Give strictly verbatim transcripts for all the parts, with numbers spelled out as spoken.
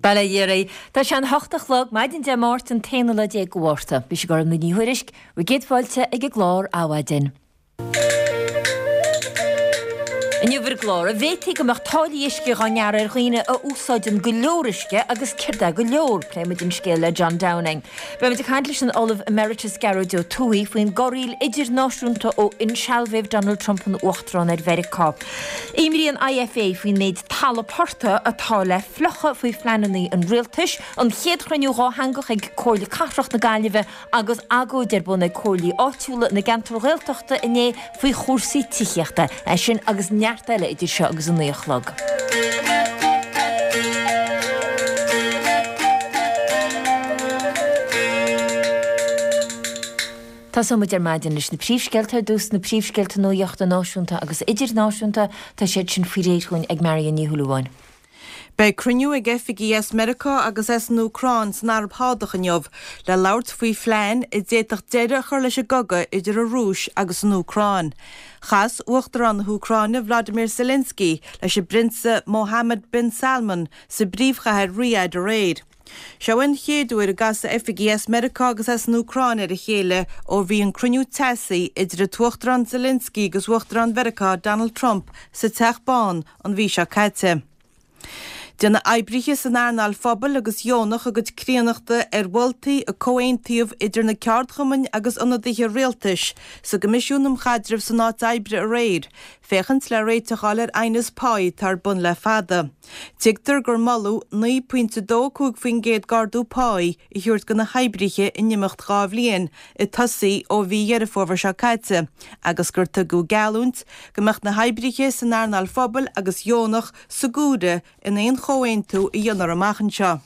Bail ó Dhia oraibh. Tá sé an hocht a chlog, maidin Dé Máirt an t-aonú lá déag de Mhárta. Mise Gormfhlaith Ní Thuairisg, bhur gcéad fáilte ag an gclár Adhmhaidin. Inniu ar an gclár, an bhféadfaí go mbeadh táillí uisce á ngearradh ar dhaoine a úsáideann go leor uisce agus céard é go leor? Pléimid an scéal le John Downing. Beimid ag caint leis an Ollamh Emeritus Gearóid Ó Tuathaigh faoin gcorraíl idirnáisiúnta ó insealbhaíodh Donald Trump ina Uachtarán ar Mheiriceá. Imní an IFA faoin méid talamh portaigh atá le fliuchadh faoi phleananna an rialtais, an chéad chruinniú dhátheangach ag Comhairle Cathrach na Gaillimhe agus agóid ar bun ag comhairlí áitiúla na gceantar Ghaeltachta inné faoi chúrsaí tithíochta. É sin agus neart eile idir seo agus a naoi a chlog. Tosóidh muid ar maidin leis na príomhscéalta ar dtús, na príomhscéalta nuachta náisiúnta agus idirnáisiúnta, tá siad sin faoi réir chugainn ag Marion Ní Shúilleabháin. Beidh cruinniú ag oifigigh as Meiriceá agus as an Úcráin san Araib Shádach inniu le labhairt faoi phlean a d'fhéadfadh deireadh a chur leis an gcogadh idir an Rúis agus an Úcráin. Chas Uachtarán na hÚcráine Vladimir Zelensky leis an bPrionsa Mohammed bin Salman sa bpríomhchathair Riyadh aréir. Seo an chéad uair a gcasfaidh oifigigh as Meiriceá agus as an Úcráin ar a chéile ó bhí an cruinniú teasaí idir an tUachtarán Zelensky agus Uachtarán Mheiriceá Donald Trump sa Teach Bán an mhí seo caite. Déanfaidh oibrithe san earnáil phobail agus dheonach a gcuid críonnachta ar mholtaí a comhaontaíodh idir na ceardchumainn agus ionadaithe rialtais sa gCoimisiún um Chaidreamh san Áit Oibre aréir, féachaint le réiteach a fháil ar aighneas páí atá ar bun le fada. Tuigtear gur moladh naoi pointe dó cúig faoin gcéad d'ardú páí a thabhairt do na hoibrithe in imeacht dhá bhliain, ag tosaí ó mhí Dheireadh Fómhair seo caite, agus gur tugadh geallúint go mbeadh na hoibrithe san earnáil phobail agus dheonach sa gcomhaireamh in aon chomhaontú a dhéanfar amach anseo.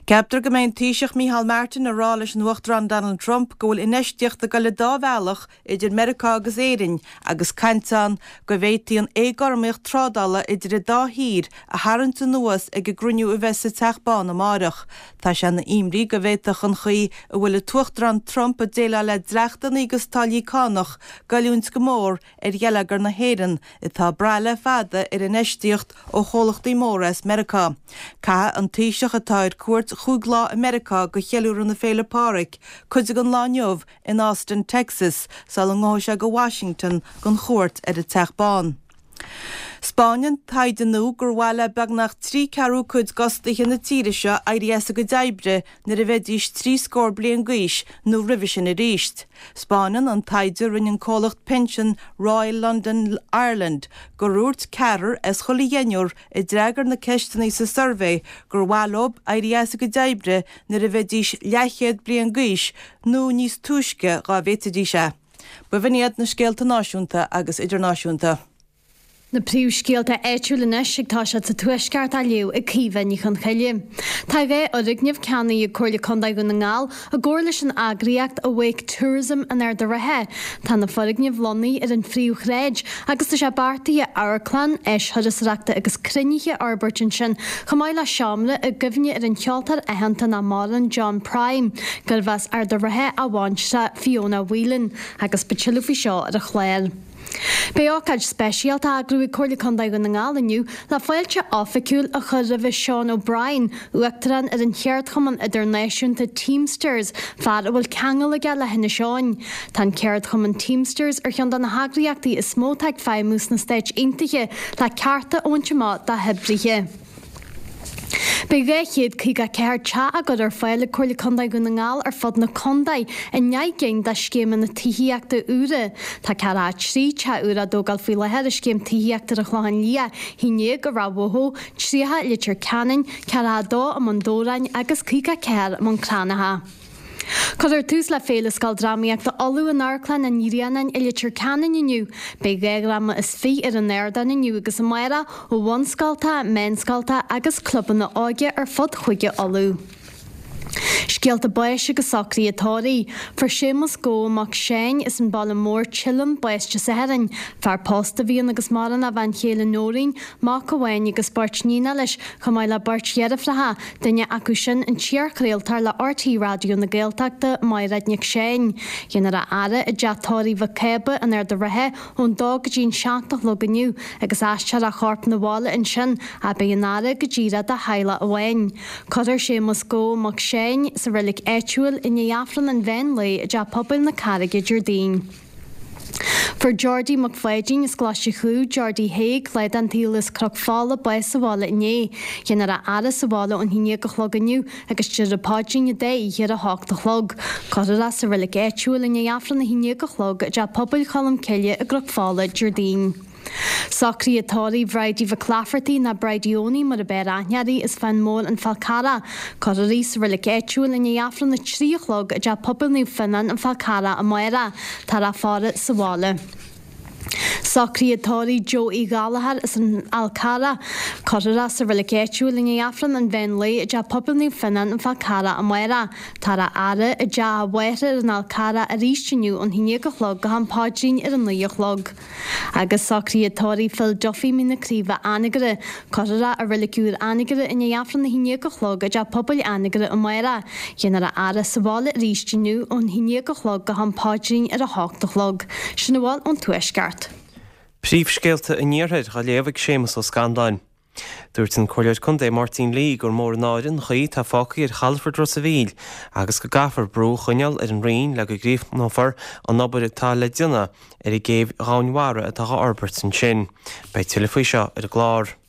Ceaptar go mbeidh an Taoiseach Micheál Martin ag rá leis an Uachtarán Donald Trump go bhfuil infheistíocht ag dul an dá bhealach idir Meiriceá agus Éirinn agus caint ann go bhféadfaí an éagothromaíocht trádála idir an dá thír a tharraingt anuas ag an gcruinniú a bheas sa Teach Bán amáireach. Tá sé ina imní go bhféadfadh an chaoi a bhfuil an tUachtarán Trump ag déileáil le dleachtanna agus táillí cánach goilliúint go mór ar gheilleagar na hÉireann, atá ag brath le fada ar infheistíocht ó chomhlachtaí móra as Meiriceá. Caithfidh an Taoiseach, atá ar cuairt chúig lá i Meiriceá do cheiliúradh na Féile Pádraig, cuid den lá inniu in Austin, Texas, sula ngabhfaidh sé go Washington don chuairt ar an Teach Bán. 'Spáineann taighde nua gur mhaith le beagnach trí ceathrú cuid d'fhostaithe na tíre seo éirí as a gcuid oibre nuair a bheidís trí scór bliain d'aois nó roimhe sin arís. 'Spáineann an taighde a rinne an comhlacht pinsean Royal London Ireland gur dhúirt ceathrar as chuile dheichniúr a d'fhreagair na ceisteanna sa suirbhé gur mhaith leo éirí as a gcuid oibre nuair a bheidís leathchéad bliain d'aois nó níos túisce dá bhféadfaidís é. B'in iad na scéalta náisiúnta agus idirnáisiúnta. Na príomhscéalta áitiúla anois ag toiseacht sa Tuaisceart á léamh ag Caoimhe Ní Chonchoille. Tá dhá fhoirgneamh ceannaithe ag Comhairle Contae Dhún na nGall i gcomhar leis an eagraíocht Awake Tourism in Ard an Rátha. Tá na foirgnimh lonnaithe ar an phríomhshráid agus tá sé beartaithe amharclann, áis thurasóireachta agus cruinnithe a fhorbairt ansin chomh maith le seomra i gcuimhne ar an cheoltóir aitheanta nach maireann John Prine, gurbh as Ard an Rátha a bhaintreach Fiona Whelan, agus beidh tuilleadh faoi seo ar an chlár. Beidh ócáid speisialta á eagrú ag Comhairle Contae Dhún na nGall inniu le fáilte oifigiúil a chur roimhe Sean O'Brien, Uachtarán ar an cheardchumann idirnáisiúnta Teamsters, fear a bhfuil ceangal aige le hInis Eoghain. Tá an ceardchumann Teamsters ar cheann de na heagraíochtaí is mó atá ag feidhmiú sna Stáit Aontaithe le cearta a bhaint amach dá hoibrithe. Beidh dhá chéad caoga a ceathair teach á gcur ar fáil ag Comhairle Contae Dhún na nGall ar fud na contae i ndeich gcinn de scéimeanna tithíochta úra. Tá ceathracha a trí teach úr á dtógáil faoi láthair i Scéim Tithíochta ar an Chlochán Liath, haon déag i Ráth Bhoth, tríocha i Leitir Ceanainn, ceathracha a dó i mBun Dobhráin agus caoga a ceathair i mBun Cranncha. Cuirfear tús le Féile Scoil Drámaíochta Uladh in Amharclann an Ghrianáin i Leitir Ceanainn inniu. Beidh dhá dhráma is fiche ar an ardán inniu agus amárach ó bhunscoltacha, meánscoltacha agus clubanna óige ar fud Chúige Uladh. Scéalta báis agus socruithe tórraimh. Fuair Séamus Gó Mac Seáin as an Baile Mór, Teileann, bás Dé Sathairn. Fear pósta a bhí ann agus maireann a bhean chéile Nóirín, mac amháin agus beirt níonacha leis, chomh maith le beirt dheirfiúracha, duine acu sin an t-iarchraoltóir le RTÉ Raidió na Gaeltachta, Mairéad Nic Seáin. Déanfar a fhaire i dteach tórraimh Mhic Cába in Ard an Rátha ón dó go dtí an seacht a chlog inniu agus aistreofar a chorp 'na bhaile ansin ach beidh an fhaire go díreach dá theaghlach amháin. Cuirfear Séamus Gó Mac Seáin sa reilig áitiúil i ndiaidh Aifreann an mheán lae i dTeach Pobail na Carraige Déardaoin. Fuair Geordie Mac Pháidín as Coláiste Chú, Geordie Thaidhg, lá den tsaol as Cnoc Fola bás sa bhaile inné. Déanfar a fhaire sa bhaile ón haon déag a chlog inniu agus tabharfar paidrín an dá oíche ar a hocht a chlog. Cuirfear é sa reilig áitiúil i ndiaidh Aifreann a haon déag a chlog i dTeach Pobail Cholm Cille i gCnoc Fola Déardaoin. Socruithe tórraimh Bhridie Mhic Laifeartaigh nó Bridie Owenie mar ab fhearr aithne uirthi as Fán Mór An Fál Carrach. Cuirfear í sa reilig áitiúil i ndiaidh Aifreann a trí a chlog i dTeach Pobail Naomh Fionnán An Fál Carrach amárach. Táthar á faire sa bhaile. Socruithe tórraimh Joe Uí Ghallchóir as an Fhál Carrach. Cuirfear é sa reilig áitiúil i ndiaidh Aifreann an mheán lae i dTeach Pobail Naomh Fionnán An Fál Carrach amárach. Táthar á fhaire i dteach a mháthar ar an Fhál Carrach arís inniu ón haon déag a chlog go ham paidrín ar a naoi a chlog. Agus socruithe tórraimh Phil Duffy Mín na Craoibhe Anagaire. Cuirfear é i reilig úr Anagaire i ndiaidh Aifreann a haon déag a chlog i dTeach Pobail Anagaire amárach. Déanfar a fhaire sa bhaile arís inniu ón haon déag a chlog go ham paidrín ar a hocht a chlog. Sin a bhfuil ón Tuaisceart. Príomhscéalta an Iarthair á léamh ag Séamus Ó Scanláin. Dúirt an Comhairleoir Contae Máirtín Lee gur mór an náire an chaoi atá fágtha ar chalafort Ros an Mhíl agus go gcaithfear brú a choinneáil ar an Roinn le go gcríochnófar an obair atá le déanamh ar an gcéibh dhomhainmhara atá á fhorbairt ansin. Beidh tuilleadh faoi seo ar an gclár.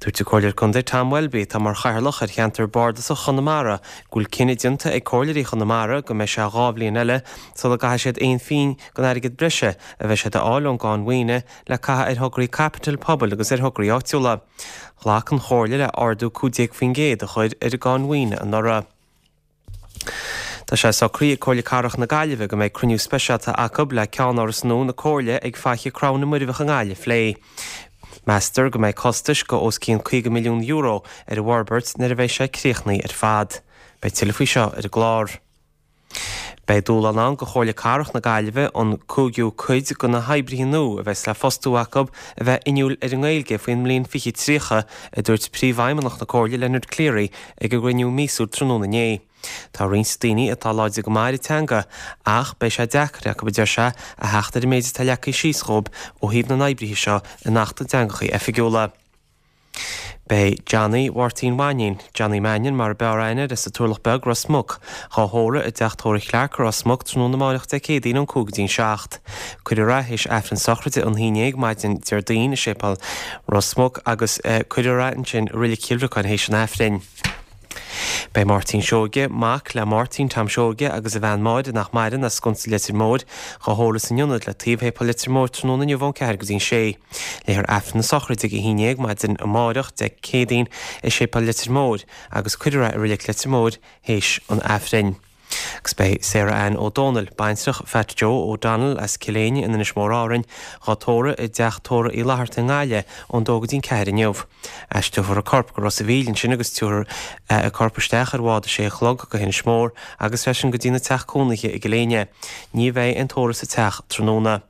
Dúirt an Comhairleoir Contae Tom Welby atá mar chathaoirleach ar cheantar Bardasach Chonamara go bhfuil cinneadh déanta ag comhairleoirí Chonamara go mbeidh sé dhá bhliain eile sula gcaithfidh siad aon phingin den airgead breise a bheidh siad a fháil ón gcáin mhaoine le caitheamh ar thograí caipitil pobail agus ar thograí áitiúla. Ghlac an chomhairle le ardú cúig déag faoin gcéad a chur ar an gcáin mhaoine anuraidh. Tá sé socraithe ag Comhairle Cathrach na Gaillimhe go mbeidh cruinniú speisialta acu le ceannáras nua na Comhairle ag Faiche Crann na Muirbheach i nGaillimh a phlé. Meastar go mbeidh costais go os cionn caoga milliún euro ar an bhforbairt nuair a bheidh sé críochnaithe ar fad. Beidh tuilleadh faoi seo ar an gclár. Beidh dúshlán ann do Chomhairle Cathrach na Gaillimhe an cúigiú cuid de na hoibrithe nua a bheas le fostú acu a bheith inniúil ar an nGaeilge faoin mbliain fiche tríocha, a dúirt príomhfheidhmeannach na Comhairle Leonard Cleary ag a gcruinniú míosúil tráthnóna inné. Tá roinnt daoine atá láidir go maith ar an teanga ach beidh sé deacair acu a deir sé a theacht ar an méid atá leagtha síos dhóibh ó thaobh na n-oibrithe seo in Acht na dTeangacha Oifigiúla. Beidh Johnny Mháirtín Mhainín, Johnny Mannion mar ab fhearr aithne air as an Turlach Beag Ros Muc, dhá thórramh i dteach tórraimh Clarke Ros Muc tráthnóna amárach Dé Céadaoin ón cúig go dtí'n seacht. Cuirfear é théis Aifreann sochraide an haon déag maidin Déardaoin i séipéal Ros Muc agus cuirfear é ansin i Reilig Chill Bhriocáin théis an Aifrinn. Beidh Máirtín Seoige, mac le Máirtín Tom Seoige agus a bhean Máire nach maireann as Sconsa Leitir Móir, dhá thórramh san ionad le taobh shéipéal Leitir Móir tráthnóna inniu ón ceathair go dtí'n sé. Léifear Aifreann na sochraide ag a haon déag maidin amárach Dé Céadaoin i séipéal Leitir Móir agus cuirfear é i Reilig Leitir Móir théis an Aifrinn. Agus beidh Sarah Ann O'Donnell, baintreach Fat Joe O'Donnell as Cill Éinne in Inis Mór Árainn, dhá tórramh i dteach tórraimh Uí Fhlatharta i nGaillimh ón dó go dtí'n ceathair inniu. Aistreofar a corp go Ros an Mhíl ansin agus tabharfar a corp isteach ar bhád a sé a chlog go hInis Mór agus freisin go dtí na teach cónaithe i gCill Éinne. Ní bheidh aon tórramh sa teach tráthnóna.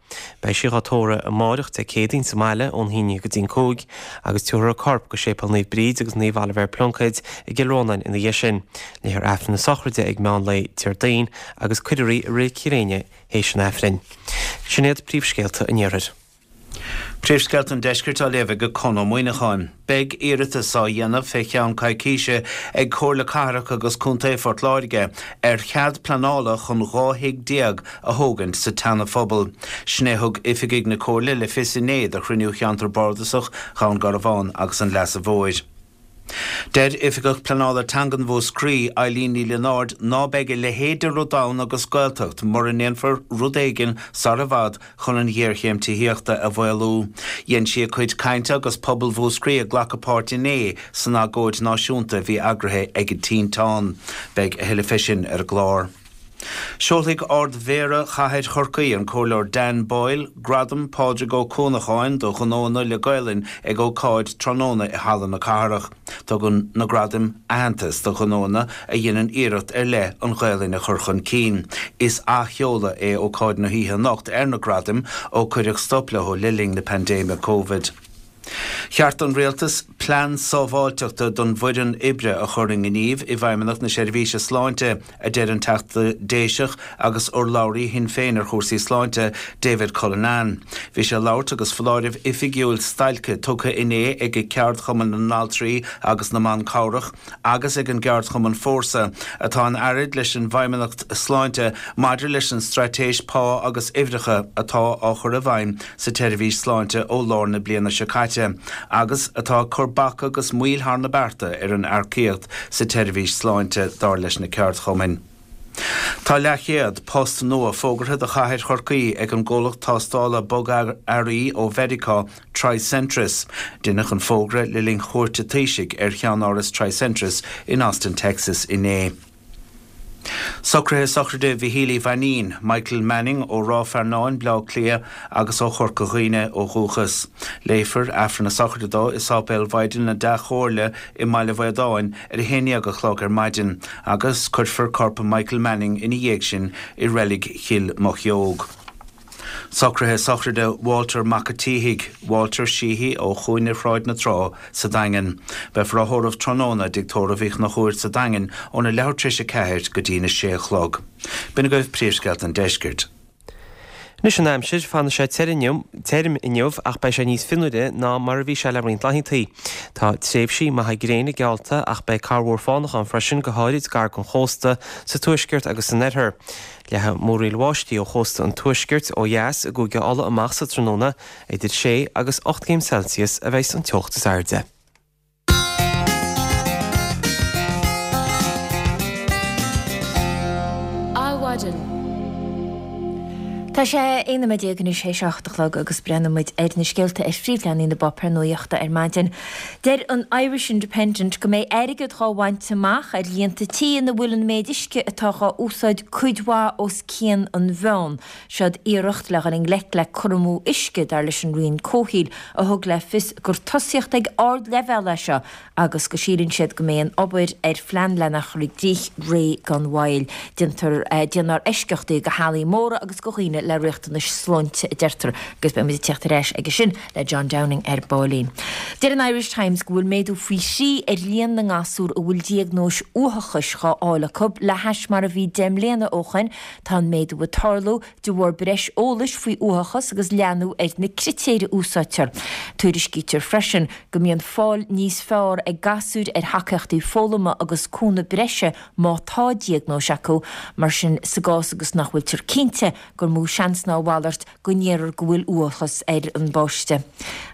Beidh sí dhá tórramh amárach Dé Céadaoin sa mbaile ón haon déag go dtí'n cúig agus tabharfar a corp go séipéal Naomh Bríd agus Naomh Oilibhéar Pluincéid i gCill Rónáin ina dhiaidh sin. Léifear Aifreann na sochraide ag meán lae Déardaoin agus cuirfear í i Reilig Chill Éinne théis an Aifrinn. Sin iad príomhscéalta an Iarthair. Príomhscéalta an Deiscirt á léamh ag Conn Ó Muíneacháin. Beidh iarratas á dhéanamh fé cheann coicíse ag Comhairle Cathrach agus Contae Phort Láirge ar chead pleanála chun dhá thigh déag a thógaint sa tSeana-Phobal. Sin é a thug oifigigh na Comhairle le fios inné do chruinniú cheantar bardasach Dhún Garbhán agus an Leasa Mhóir. Deir Oifigeach Pleanála Teangan Mhúscraí Eileen Ní Lionáird ná beidh a leithéid de rud ann agus Gaeltacht mura ndéanfar rud éigin sar i bhfad chun an ghéarchéim tithíochta a mhaolú. Dhein sí a cuid cainte agus pobal Mhúscraí ag glacadh páirt inné san agóid náisiúnta a bhí eagraithe ag an Tinteán. Beidh a thuilleadh fé sin ar an gclár. Seolfaidh Ard-Mhéara Chathair Chorcaí, an Comhairleoir Dan Boyle, Gradam Pádraig Ó Cuanacháin do ghnóanna le Gaelainn ag ócáid tráthnóna i Halla na Cathrach. Tugann na gradaim aitheantas do ghnóanna a dhéanann iarracht ar leith an Ghaelainn a chur chun cinn. Is athsheoladh é ócáid na hoíche anocht ar na gradaim ó cuireadh stop leo le linn na paindéime Covid. Cheart don Rialtas plean sábháilteachta don bhfoireann oibre a chur i ngníomh i bhFeidhmeannacht na Seirbhíse Sláinte, a deir an Teachta Déiseach agus urlabhraí Shinn Féin ar chúrsaí sláinte, David Cullinane. Bhí sé ag labhairt agus foláireamh oifigiúil stailce tugtha inné ag Ceardchumann na nAltraí agus na mBan Cabhrach agus ag an gceardchumann Fórsa, atá in earraid leis an bhFeidhmeannacht Sláinte maidir leis an straitéis pá agus uimhreacha atá á chur i bhfeidhm sa tseirbhís sláinte ó lár na bliana seo caite agus atá ag cur bac agus moill thar na bearta ar an earcaíocht sa tseirbhís sláinte, dar leis na ceardchumainn. Tá leathchéad post nua fógartha do chathair Chorcaí ag an gcomhlacht tástála bogearraí ó Mheiriceá, Tricentris. Deineadh an fógra le linn chuairt an Taoisigh ar cheannáras Tricentris in Austin, Texas inné. Socruithe sochraide Mhichíl Uí Mhainín, Michael Manning, ó Ráth Fearnáin, Bleá Cliath agus ó Chorca Dhuibhne ó dhúchas. Léifear Aifreann na sochraide dó i Sáipéal Mhaighdean na Dea-Chomhairle i mBaile Bhaodáin ar a haon dhéag a chlog ar maidin agus cuirfear corp Michael Manning ina dhiaidh sin i Reilig Chill Mochióg. Socruithe sochraide Walter Mac a' tSíthigh, Walter Sheehy, ó Chúinne Shráid na Trá sa Daingean. Beifear á thórramh tráthnóna i dTigh Tórraimh Uí Chonchúir sa Daingean óna leathuair tar éis a ceathair go dtína sé a chlog. B'in agaibh príomhscéalta an deiscirt. Anois an aimsir, fanfaidh sé tirim inniu ach beidh sé níos fionnuaire ná mar a bhí sé le roinnt laethanta. Tá tréimhsí maithe gréine geallta ach beidh corrmhúr fánach ann freisin, go háirid gar don chósta, sa tuaisceart agus san oirthear. Leathfaidh múraíl bháistí ó chósta an tuaiscirt ó dheas i gCúige Uladh amach sa tráthnóna, idir sé agus ocht gcéim Celsius a bheidh an teocht is airde. Adhmhaidin. Tá sé aon nóiméad déag anois théis a hocht a chlog agus breathnóidh muid ar na scéalta ar phríomhleathanaigh na bpáipéar nuachta ar maidin. Deir an Irish Independent go mbeidh airgead dhá bhaint amach ar líonta tí ina bhfuil an méid uisce atá dhá úsáid cuid mhaith os cionn an mheáin. Seod iarracht le dhul i ngleic le cur amú uisce, dar leis an Roinn Comhshaoil, a thug le fios gur tosaíocht ag ardleibhéal é seo agus go síleann siad go mbeidh an obair ar phlean lena chur i gcrích réidh gan mhoill. Déantar déanfar eisceachtaí do theaghlaigh móra agus do dhaoine le riachtanais sláinte, a deirtear, agus beidh muid ag teacht ar ais aige sin le John Downing ar baillín. Deir an Irish Times go bhfuil méadú faoi thrí ar líon na ngasúr a bhfuil diagnóis uathachais dhá fháil acu le hais mar a bhí deich mbliana ó shoin. Tá an méadú ag tarlú de bharr breis eolais faoi uathachas agus leathnú ar na critéir a úsáidtear. Tuairiscítear freisin go mbíonn fáil níos fearr ag gasúir ar thacaíochtaí foghlama agus cúnamh breise má tá diagnóis acu, mar sin sa gcás agus nach bhfuiltear cinnte gur mó seans ná a mhalairt go ndéarfar go bhfuil uathachas ar an bpáiste.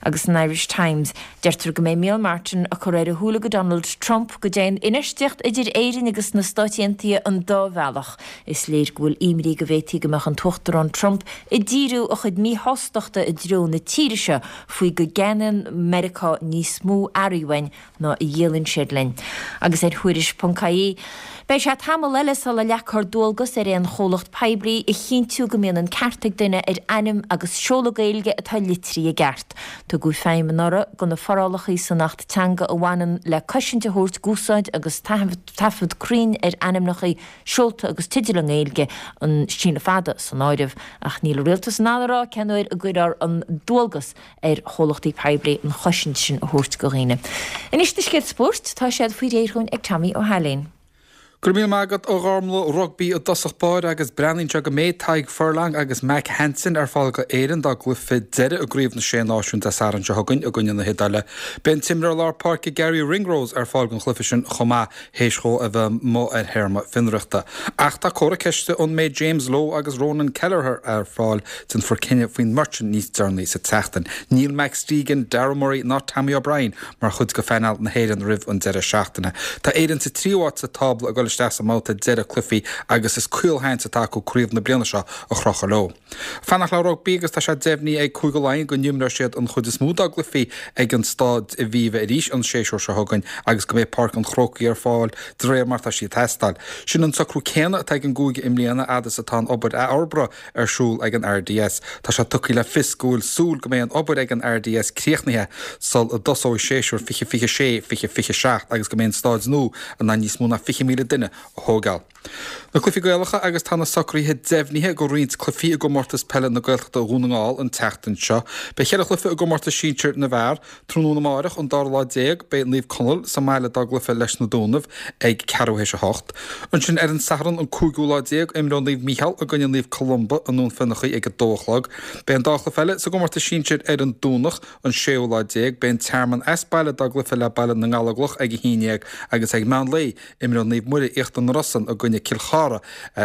Agus san Irish Times, deirtear go mbeidh Micheál Martin ag cur ar a shúile go Donald Trump go dtéann infheistíocht idir Éirinn agus na Stáit Aontaithe an dá bhealach. Is léir go bhfuil imní go bhféadfaí go mbeadh an tUachtarán Trump ag díriú a chuid míshástachta i dtreo na tíre seo faoi go gceannaíonn Meiriceá níos mó earraí uainn ná a dhíolann siad linn. Agus ar Thuairisc ponc ie, beidh sé tamall eile sula leagfar dualgas ar aon chomhlacht poiblí a chinntiú go mbíonn an ceart ag duine ar ainm agus seoladh Gaeilge atá litrithe i gceart. Tugadh feidhm anuraidh do na forálacha san Acht Teanga a bhaineann le cosaint a thabhairt d'úsáid agus taifead cruinn ar ainmneacha, seolta agus teidil i nGaeilge, an síneadh fada san áireamh, ach níl an Rialtas in ann a rá cén uair a gcuirfear an dualgas ar chomhlachtaí poiblí an chosaint sin a thabhairt do dhaoine. Anois na scéalta spóirt, tá siad faoi réir dhúinn ag Tommy Ó hAilín. Go raibh míle maith agat a Ghormlaith. Rugbaí i dtosach báire agus breathnaíonn sé go mbeidh Tadhg Furlong agus Mack Hansen ar fáil go Éirinn dá gcluiche deiridh i gCraobh na Sé Náisiún Dé Sathairn seo chugainn i gcoinne na hIodáile. Beidh an t-imreoir lár páirce Garry Ringrose ar fáil don chluiche sin chomh maith théis dhó a bheith amuigh ar théarma fionraíochta. Ach tá comhartha ceiste an mbeidh James Lowe agus Ronan Kelleher ar fáil, déanfar cinneadh faoin mbeirt sin níos deireanaí sa tseachtain. Níl Max Deegan, Darragh Murray ná Tommy O'Brien mar chuid de phainéal na hÉireann roimh an deireadh seachtaine. Tá Éirinn sa tríú háit sa tábla ag dul isteach sa mbabhta deireadh cluichí agus is caolsheans atá acu craobh na bliana seo a chrochadh leo. Fanacht le rugbaí agus tá sé deimhnithe ag Cúige Laighean go n-imreoidh siad an chuid is mó dá gcluichí ag an Staid Aviva arís an séasúr seo chugainn agus go mbeidh Páirc an Chrócaigh ar fáil de réir mar tá sí ag teastáil. Sin an socrú céanna atá ag an gcúige i mbliana fhad is atá an obair athfhorbartha ar siúl ag an R D S. Tá sé tugtha le fios go bhfuil súil go mbeidh an obair ag an R D S críochnaithe sul a dtosóidh séasúr fiche fiche sé fiche fiche seacht agus go mbeidh an staid nua in ann níos mó ná fiche míle duine a thógáil. Na cluichí Gaelacha agus tá na socruithe deimhnithe go roinnt cluichí i gcomórtas peile na Gaeltachta Dhún na nGall an tseachtain seo. Beidh ceithre chluiche i gcomórtas sinsir na bhfear, tráthnóna amárach an dara lá déag beidh Naomh Conaill sa mbaile dá gcluiche leis na Dúnaibh ag ceathrú théis a hocht. Ansin ar an Satharn an cúigiú lá déag imreoidh Naomh Mícheál i gcoinne Naomh Columba i nDún Fionnachaidh ag a dó a chlog. Beidh an dá chluiche eile sa gcomórtas sinsir ar an Domhnach an séú lá déag, beidh an Tearmann as baile dá gcluiche le Baile na nGallóglach ag a haon déag agus ag meán lae imreoidh Naomh Muire Íochtar na Rosann i gcoinne Cill Chartha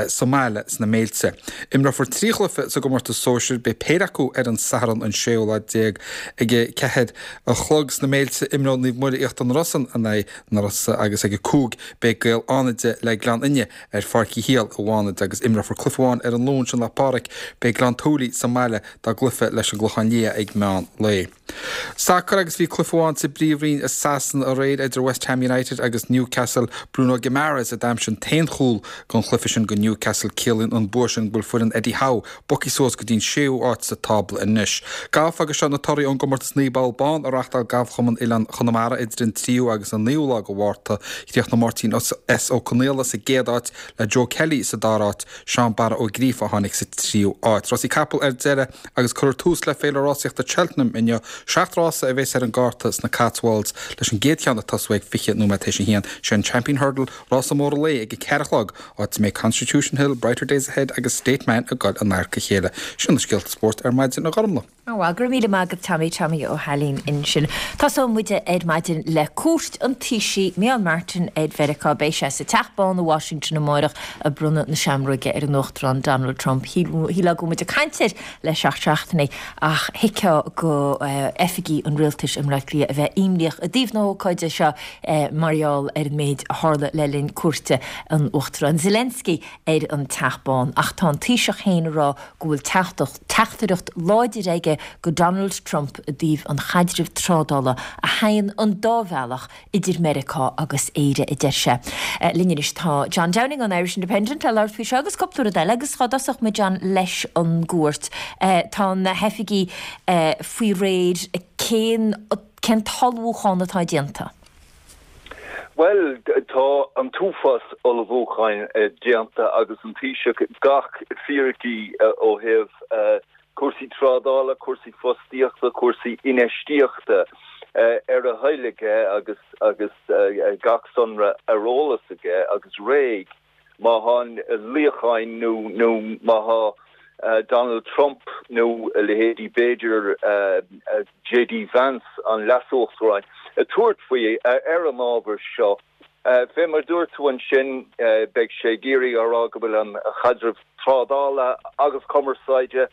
sa mbaile sna Méilte. Imreofar trí chluiche sa gcomórtas sóisir, beidh péire acu ar an Satharn an séú lá déag ag a ceathair a chlog sna Méilte imreoidh Naomh Muire Íochtar na Rosann in aghaidh na Rosa agus ag a cúig beidh Gaeil Fhánaide le Gleann Fhinne ar Pháirc Uí Shiail i bhFánaid agus imreofar cluiche amháin ar an Luan sin, Lá Pádraig, beidh Gleann tSúilí sa mbaile dá gcluiche leis an gClochán Liath ag meán lae. Sacar agus bhí cluiche amháin sa bPríomhroinn i Sasana aréir idir West Ham United agus Newcastle. Bruno Guimaraes a d'aimsigh an t-aon chúl don chluiche sin go Newcastle. Ciallaíonn an bua sin go bhfuil foireann Eddie Howe bogtha suas go dtí an séú áit sa tábla anois. Galf agus seo na torthaí ón gcomórtas naoi bpoll bán a reáchtáil Galfchumann Oileán Chonamara idir an tríú agus an naoú lá de Mhárta. Chríochnaigh Máirtín S Ó Conaola sa gcéad áit le Joe Kelly sa dara háit, Seán Barra Ó Gríofa a tháinig sa tríú áit. Rásaí capall ar deireadh agus cuirfear tús le féile rásaíochta Cheltenham inniu. Seacht rása a bheas ar an gcárta sna Cotswolds leis an gcéad cheann ag tosú ag fiche nóiméad théis a haon. Sé an Champion Hurdle rása mór an lae ag a ceathair a chlog, áit a mbeidh Constitution Hill, Brighter Days Ahead agus State Man ag dul in adharca a chéile. Sin na scéalta spóirt ar maidin, a Ghormlaith. Bhuel, go raibh míle maith agat Tommy Tommy Ó hAilín ansin. Tosóidh muid ar maidin le cuairt an Taoisigh Micheál Martin ar Mheiriceá. Beidh sé sa Teach Bán i Washington amárach ag bronnadh na seamróige ar an Uachtarán Donald Trump. Shílfeá go muid ag caint air le seacht seachtainí ach thuigfeá go oifigigh an rialtais i mBaile Átha Cliath a bheith imníoch i dtaobh na hócáide seo mar gheall ar an méid a tharla le linn cuairte an Uachtaráin Zelensky ar an Teach Bán, ach tá an Taoiseach féin ag rá go bhfuil teachtaireacht láidir aige go Donald Trump i dtaobh an chaidrimh trádála a théann an dá bhealach idir Meiriceá agus Éire a deir sé. Linn anois tá John Downing an Irish Independent le labhairt faoi seo agus cúpla rud eile agus dá dtosódh muid John leis an gcuairt. Tá na hoifigigh faoi réir cén cén t-ullmhúchán atá déanta. Well tá an t-uafás ullmhúcháin déanta agus an Taoiseach gach fíricí ó thaobh cúrsaí trádála, cúrsaí fostaíochta, cúrsaí infheistíochta ar a thoil aige agus agus gach sonra ar eolas aige agus réidh má tá luíocháin nó nó má tá Donald Trump nó a leithéidí b'fhéidir J D Vance an leas-uachtarán ag tabhairt faoi ar an ábhar seo. Fé mar dúirt tú ansin beidh sé ag iarraidh a rá go bhfuil an chaidreamh trádála agus cumarsáide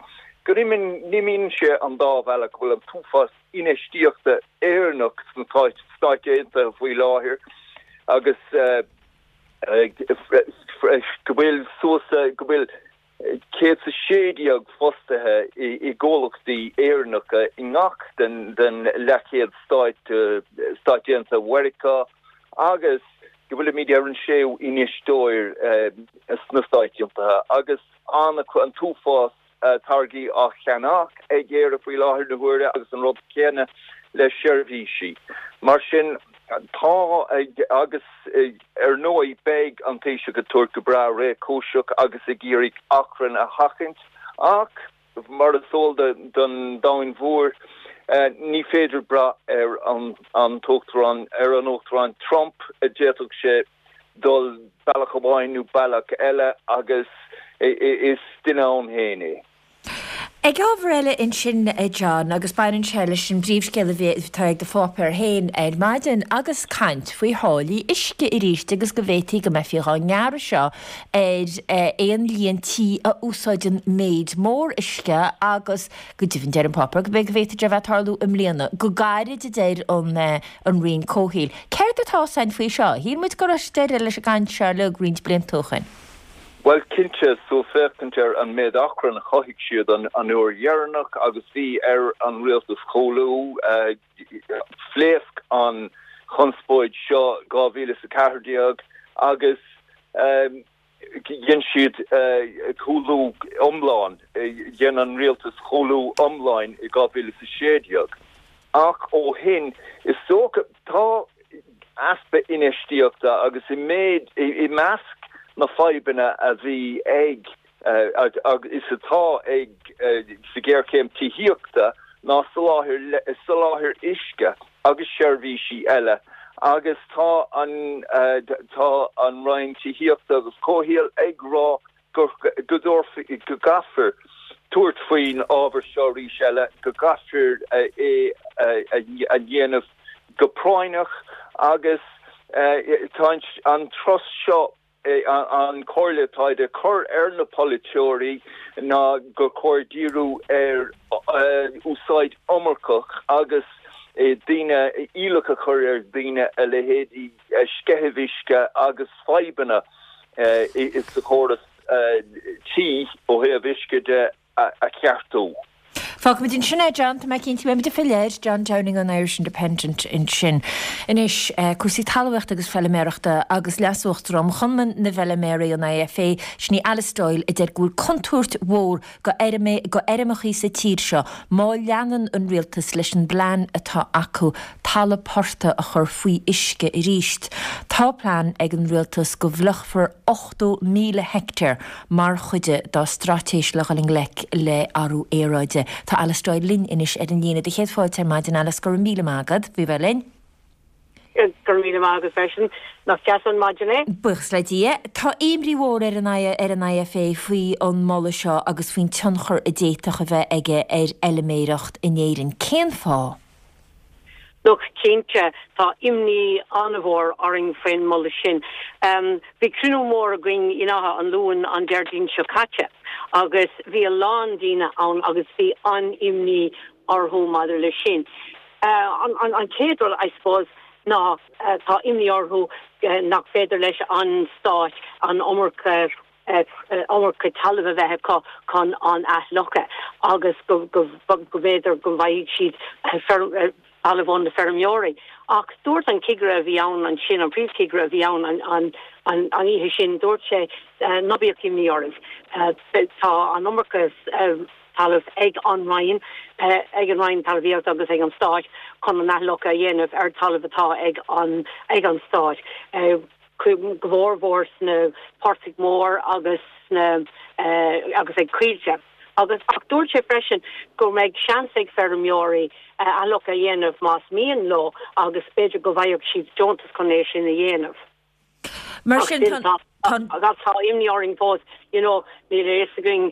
go n-imíonn sé an dá bhealach go bhfuil an t-uafás infheistíochta Éireannach sna Stáit Aontaithe faoi láthair agus go bhfuil suas go bhfuil céad sa sé déag fostaithe i gcomhlachtaí Éireannacha i ngach den den leathchéad stáit Stáit Aontaithe Mheiriceá agus go bhfuilimid ar an séú infheisteoir sna Stáit Aontaithe agus an an t-uafás táirgí á cheannach ag Éire faoi láthair na huaire agus an rud céanna le seirbhísí. Mar sin tá agus ar ndóigh beidh an Taoiseach ag tabhairt go breá réchúiseach agus ag iarraidh achrann a sheachaint ach mar is eol don domhan mhór ní féidir brath ar an an t-uachtarán ar an uachtarán Trump a d'fhéadfadh sé dul bealach amháin nó bealach eile agus is duine ann féin é. Ag ábhar eile ansin, a John, agus baineann sé leis an bpríomhscéal a bhí atá ag do pháipéar féin ar maidin, agus caint faoi tháillí uisce arís agus go bhféadfaí go mbeifí dhá ngearradh seo ar aon líon tí a úsáideann méid mór uisce agus go deimhin deir an páipéar go b'fhéidir go bhféadfadh sé a bheith ag tarlú i mbliana go gairid a deir an an Roinn Comhshaoil. Céard atá ann faoi seo? Shíl muid go raibh deireadh leis an gcaint seo uilig roinnt blianta ó shin. Bhuel, cinnte, so féachaint ar an méid achrainn a chothaigh siad an uair dheireanach agus bhí ar an rialtas cúlú, phléasc an chonspóid seo dhá mhíle is a ceathair déag agus dhein siad cúlú iomlán, dhein an rialtas cúlú iomlán i dhá mhíle is a sé déag. Ach ó shin, is dócha, tá easpa infheistíochta agus i méid, i measc na fadhbanna a bhí ag is atá ag sa ghéarchéim tithíochta ná soláthar soláthar uisce agus seirbhísí eile agus tá an tá an Roinn Tithíochta agus Comhshaoil ag rá go go go gcaithfear tabhairt faoin ábhar seo arís eile, go gcaithfear é a dhéanamh go práinneach agus tá an turas seo an chomhairle atá á cur ar na polaiteoirí ná gur chóir díriú ar úsáid iomarcach agus daoine iallach a chur ar dhaoine a leithéidí sceitheamh uisce agus fadhbanna sa chóras tí ó thaobh uisce de a cheartú. Fágfaimid ansin é, John, tá mé cinnte go mbeimid ag filleadh air, John Downing ón Irish Independent ansin. Anois, cúrsaí talmhaíochta agus feiliméarachta agus Leas-Uachtarán Chumann na bhFeiliméaraí an IFA, sin í Alice Doyle, a deir go bhfuil contúirt mhór go go fheirmeachaí sa tír seo má leanann an rialtas leis an bplean atá acu talamh portaigh a chur faoi uisce arís. Tá plean ag an rialtas go bhfliuchfar ochtó míle heicteár mar chuid dá straitéis le dhul i ngleic le athrú aeráide. Tá Alice Doyle linn anois ar an líne. Do chéad fáilte ar maidin, Alice, go raibh míle maith agat faoi bheith linn. Go raibh míle maith agat freisin. Nach deas an maidin é? Buíochas le Dia. Tá imní mhór ar an ar an IFA faoi an moladh seo agus faoin tionchar a d'fhéadfadh a bheith aige ar fheiliméireacht in Éirinn. Cén fáth? Look, cinnte, tá imní an-mhór orainn faoin moladh sin. Bhí cruinniú mór againn in Áth an Luain an Déardaoin seo caite agus bhí a lán daoine ann agus bhí an-imní orthu maidir leis sin. An chéad rud, I suppose, ná tá imní orthu nach féidir leis an Stát an iomarca iomarca talamh a bheith acu chun an athfhliuchadh agus go b'fhéidir go bhfaighidh siad talamh ó na feirmeoirí. Ach dúirt an cigire a bhí ann ansin, an príomhchigire a bhí ann an an oíche sin, dúirt sé, ná bíodh imní oraibh, tá an iomarca talamh ag an Roinn, ag an Roinn Talmhaíochta agus ag an Stát chun an athfhliuchadh a dhéanamh ar talamh atá ag an ag an Stát. Go mórmhór sna portaigh mór agus sna agus ag coillte. Agus ach dúirt sé freisin go mbeidh seans ag feirmeoirí athfhliuchadh a dhéanamh más mian leo agus b'fhéidir go bhfaigheadh siad deontas chun é sin a dhéanamh. Mar sin tá Agus tá imní orainn fós, you know, níl a fhios againn,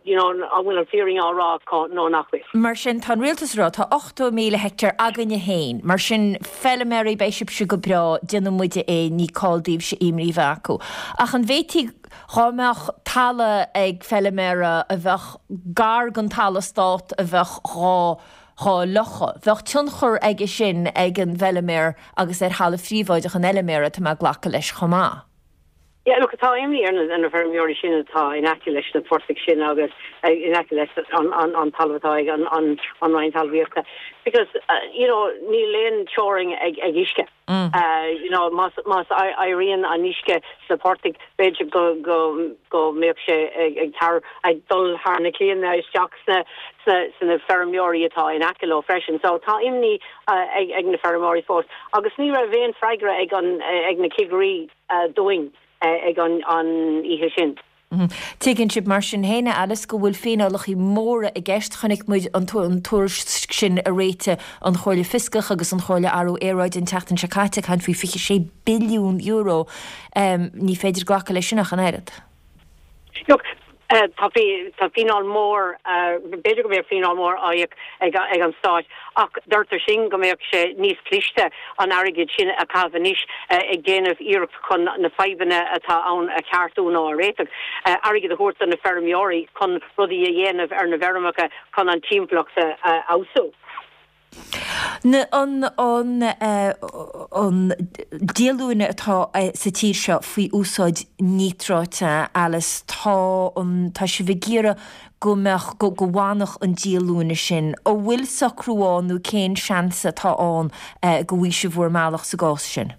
you know, an bhfuil an fírinne á rá acu nó nach bhfuil. Mar sin tá an rialtas ag rá tá ochtó míle heicteár againne féin, mar sin feiliméaraí beidh sibhse go breá, déanfaidh muide é, ní call daoibhse imní a bheith acu. Ach an bhféadfaí dhá mbeadh talamh ag feiliméara a bheadh gar don talamh stát a bheadh dhá dhá fhliuchadh, bheadh tionchar aige sin ag an bhfeiliméar agus ar thalamh phríobháideach an fheiliméara, tá mé ag glacadh leis chomh maith. Yeah, look, tá imní ar na, ar na feirmeoirí sin atá in aice leis na portaigh sin agus in aice leis an, an, an talamh atá ag an, an, an Roinn Talmhaíochta because, uh, you know, níl aon teorainn ag, ag uisce. Mm. Uh, you know, más, más éiríonn an uisce sna portaigh, b'fhéidir go, go, go mbeadh sé ag, ag, tar, ag dul thar na claíonna isteach sna, sna, sna feirmeoirí atá in aice leo freisin. So tá imní uh, ag, ag na feirmeoirí fós. Agus ní raibh aon freagra ag, an, ag na cigirí uh, dúinn ag an oíche sin. Tuigeann sibh mar sin féin, a Alice, go bhfuil fíneálacha móra i gceist. Chonaic muid an tuairisc sin a réitigh an Chomhairle Fioscach agus an Chomhairle Athrú Aeráide an tseachtain seo caite, ag caint faoi fiche sé billiún euro. Ní féidir glacadh leis sin ach an oiread. Look, Tá tá fíneáil mór, b'fhéidir go mbeadh fíneáil mór á íoc ag ag an Stát ach deirtear sin go mbeadh sé níos cliste an airgead sin a chaitheamh anois ag déanamh iarracht chun na fadhbanna atá ann a cheartú nó a réiteach, airgead a thabhairt do na feirmeoirí chun rudaí a dhéanamh ar na bhfeirmeacha chun an timpeallacht a fheabhsú. An an díolúine atá sa tír seo faoi úsáid níotráite, Alice, tá an tá sibh ag iarraidh go mbeadh go go bhfanfadh an díolúine sin. An bhfuil socrú ann nó cén seans atá ann go bhfaighidh sibh bhur mbealach sa gcás sin?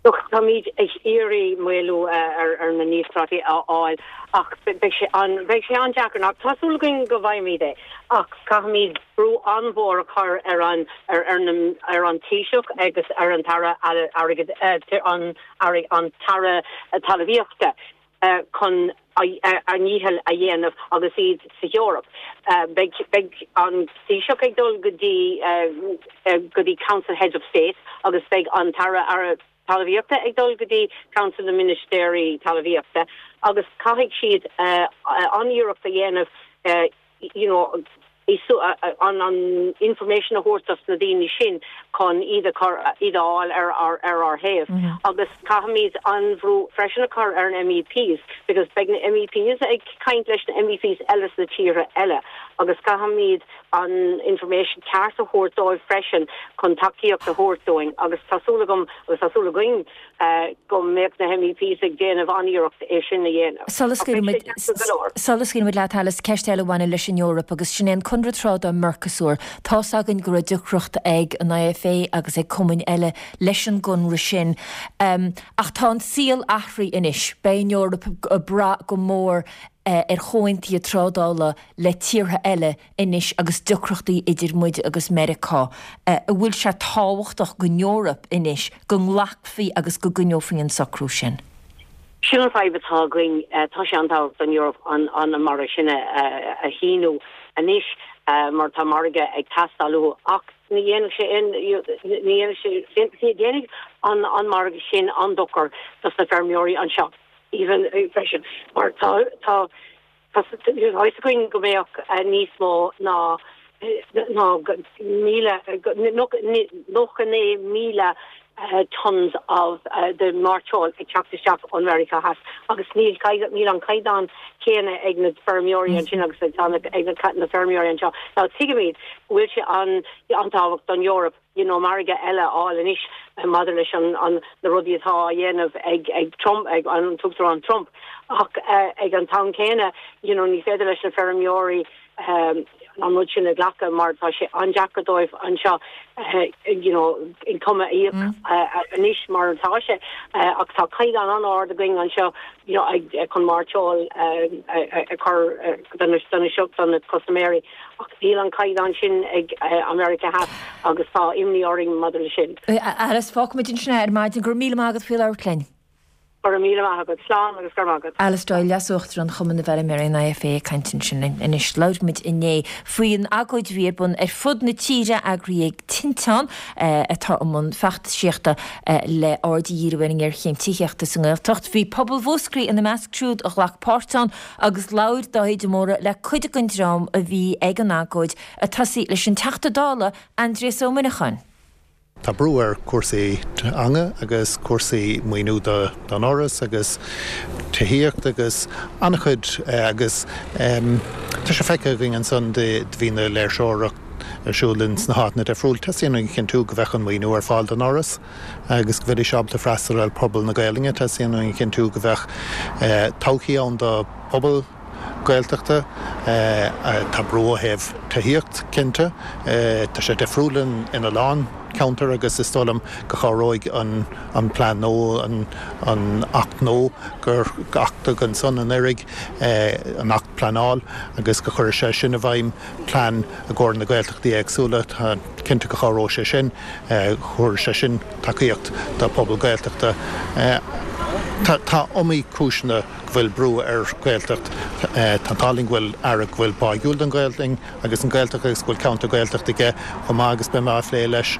Look, táimid ag iarraidh maolú ar ar na níotráití a fháil ach beidh sé an beidh sé an-deacair. Ach tá súil againn go bhfaighimid é ach caithfimid brú an-mhór a chur ar an ar ar na ar an Taoiseach agus ar an tAire Airgid an an tAire Talmhaíochta chun a ndícheall a dhéanamh agus iad sa Eoraip. Beidh beidh an Taoiseach ag dul go dtí go dtí Council Heads of State agus beidh an tAire Aire Talmhaíochta ag dul go dtí Council na Ministéirí Talmhaíochta agus caithfidh siad an-iarracht a dhéanamh you know an an information a thabhairt dos na daoine sin chun iad a chur iad a fháil ar ar ar ár thaobh agus caithfimid an-bhrú freisin a chur ar an MEPs because beidh na MEPs ag caint leis na MEPs eile sna tíortha eile agus caithfimid an information ceart a thabhairt dóibh freisin chun tacaíocht a thabhairt dúinn agus tá súil agam agus tá súil againn go mbeadh na MEPs ag déanamh an-iarracht é sin a dhéanamh. Sula scaoilfimid leat Alice, ceist eile a bhaineann leis an Eoraip agus sin é an Conradh Trádála Mercosur. Tá's againn go raibh deacracht ag an IFA agus ag cumainn eile leis an gconradh sin. Ach tá an saol athraithe anois. Beidh an Eoraip ag brath go mór ar chomhaontuithe trádála le tíortha eile anois agus deacrachtaí idir muid agus Meiriceá. An bhfuil sé tábhachtach don Eoraip anois go nglacfaí agus go gcoinneofaí an socrú sin? Sin an fadhb atá againn, tá sé an-tábhachtach don Eoraip an an margadh sin a shíniú anois mar tá margadh ag teastáil uathu ach ní dhéanfaidh sé aon ní dhéanfaidh sé déanfaidh an an margadh sin an-dochar dos na feirmeoirí anseo. even freisin mar tá tá tá fhios againn go mbeadh níos mó ná ná míle nócha naoi míle tons of de mairteoil ag teacht isteach ón Mheiriceá Theas agus níl níl an caighdeán céanna ag na feirmeoirí ansin agus ag na feirmeoirí anseo. Now tuigimid go bhfuil sé an an-tábhachtach don Eoraip you know margadh eile a fháil anois maidir leis an an na rudaí atá á dhéanamh ag ag Trump ag an tUachtarán Trump ach ag an t-am céanna you know ní féidir leis na feirmeoirí an rud sin a ghlacadh mar tá sé an-deacair dóibh anseo you know income a íoc anois mar atá sé ach tá caighdeán an-ard againn anseo you know ag chun mairteoil a chur do na do na custaiméirí ach níl an caighdeán sin ag America Theas agus tá imní orainn maidir leis sin. Alice, fágfaimid ansin é ar maidin. Go raibh míle maith agat faoi labhairt linn. Go raibh míle maith agat. Slán agus go raibh maith agat. Alice Doyle, Leas-Uachtarán Chumann na bhFeirmeoirí, an IFA, ag caint ansin anois. Labhair muid inné faoin agóid a bhí ar bun ar fud na tíre, eagraithe ag Tinteán, atá i mbun feachtasaíochta le aird a dhíriú ar an ngéarchéim tithíochta sa nGaeltacht. Bhí pobal Mhúscraí ina measc siúd a ghlac páirt ann agus labhair Dáithí de Mórdha le cuid den dream a bhí ag an agóid, ag tosaí leis an Teachta Dála, Aindrias Ó Muineacháin. Tá brú ar chúrsaí teanga agus cúrsaí maoiniú don Fhoras agus tithíocht agus an-chuid agus tá sé feicthe againn ansan do bhí na léirseoireacht ar siúl ins na háiteanna difriúil. Teastaíonn uainn a chinntiú go bheadh an maoiniú ar fáil don Fhoras agus go bheidís ábalta freastal ar phobal na Gaelainne. Teastaíonn uainn a chinntiú go bheadh todhchaí ann do phobal Gaeltachta. Tá brú ó thaobh tithíocht, cinnte. Tá sé difriúil ina lán ceantar agus is dóigh liom go chabhróidh an plean nua, an Acht nua gur achtaíodh ansan anuraidh, an Acht Pleanáil, agus go chuirfidh sé sin i bhfeidhm plean i gcomhair na Gaeltachtaí éagsúla. Tá cinnte go chabhróidh sé sin, thabharfaidh sé sin tacaíocht do phobal Gaeltachta. Tá iomaí cúiseanna go bhfuil brú ar Ghaeltacht. Tá an t-ádh linn go bhfuil Aire go bhfuil báigiúil don Ghaelainn agus an Ghaeltacht agus go bhfuil ceantar Gaeltachta aige chomh maith agus beidh mé á phlé leis,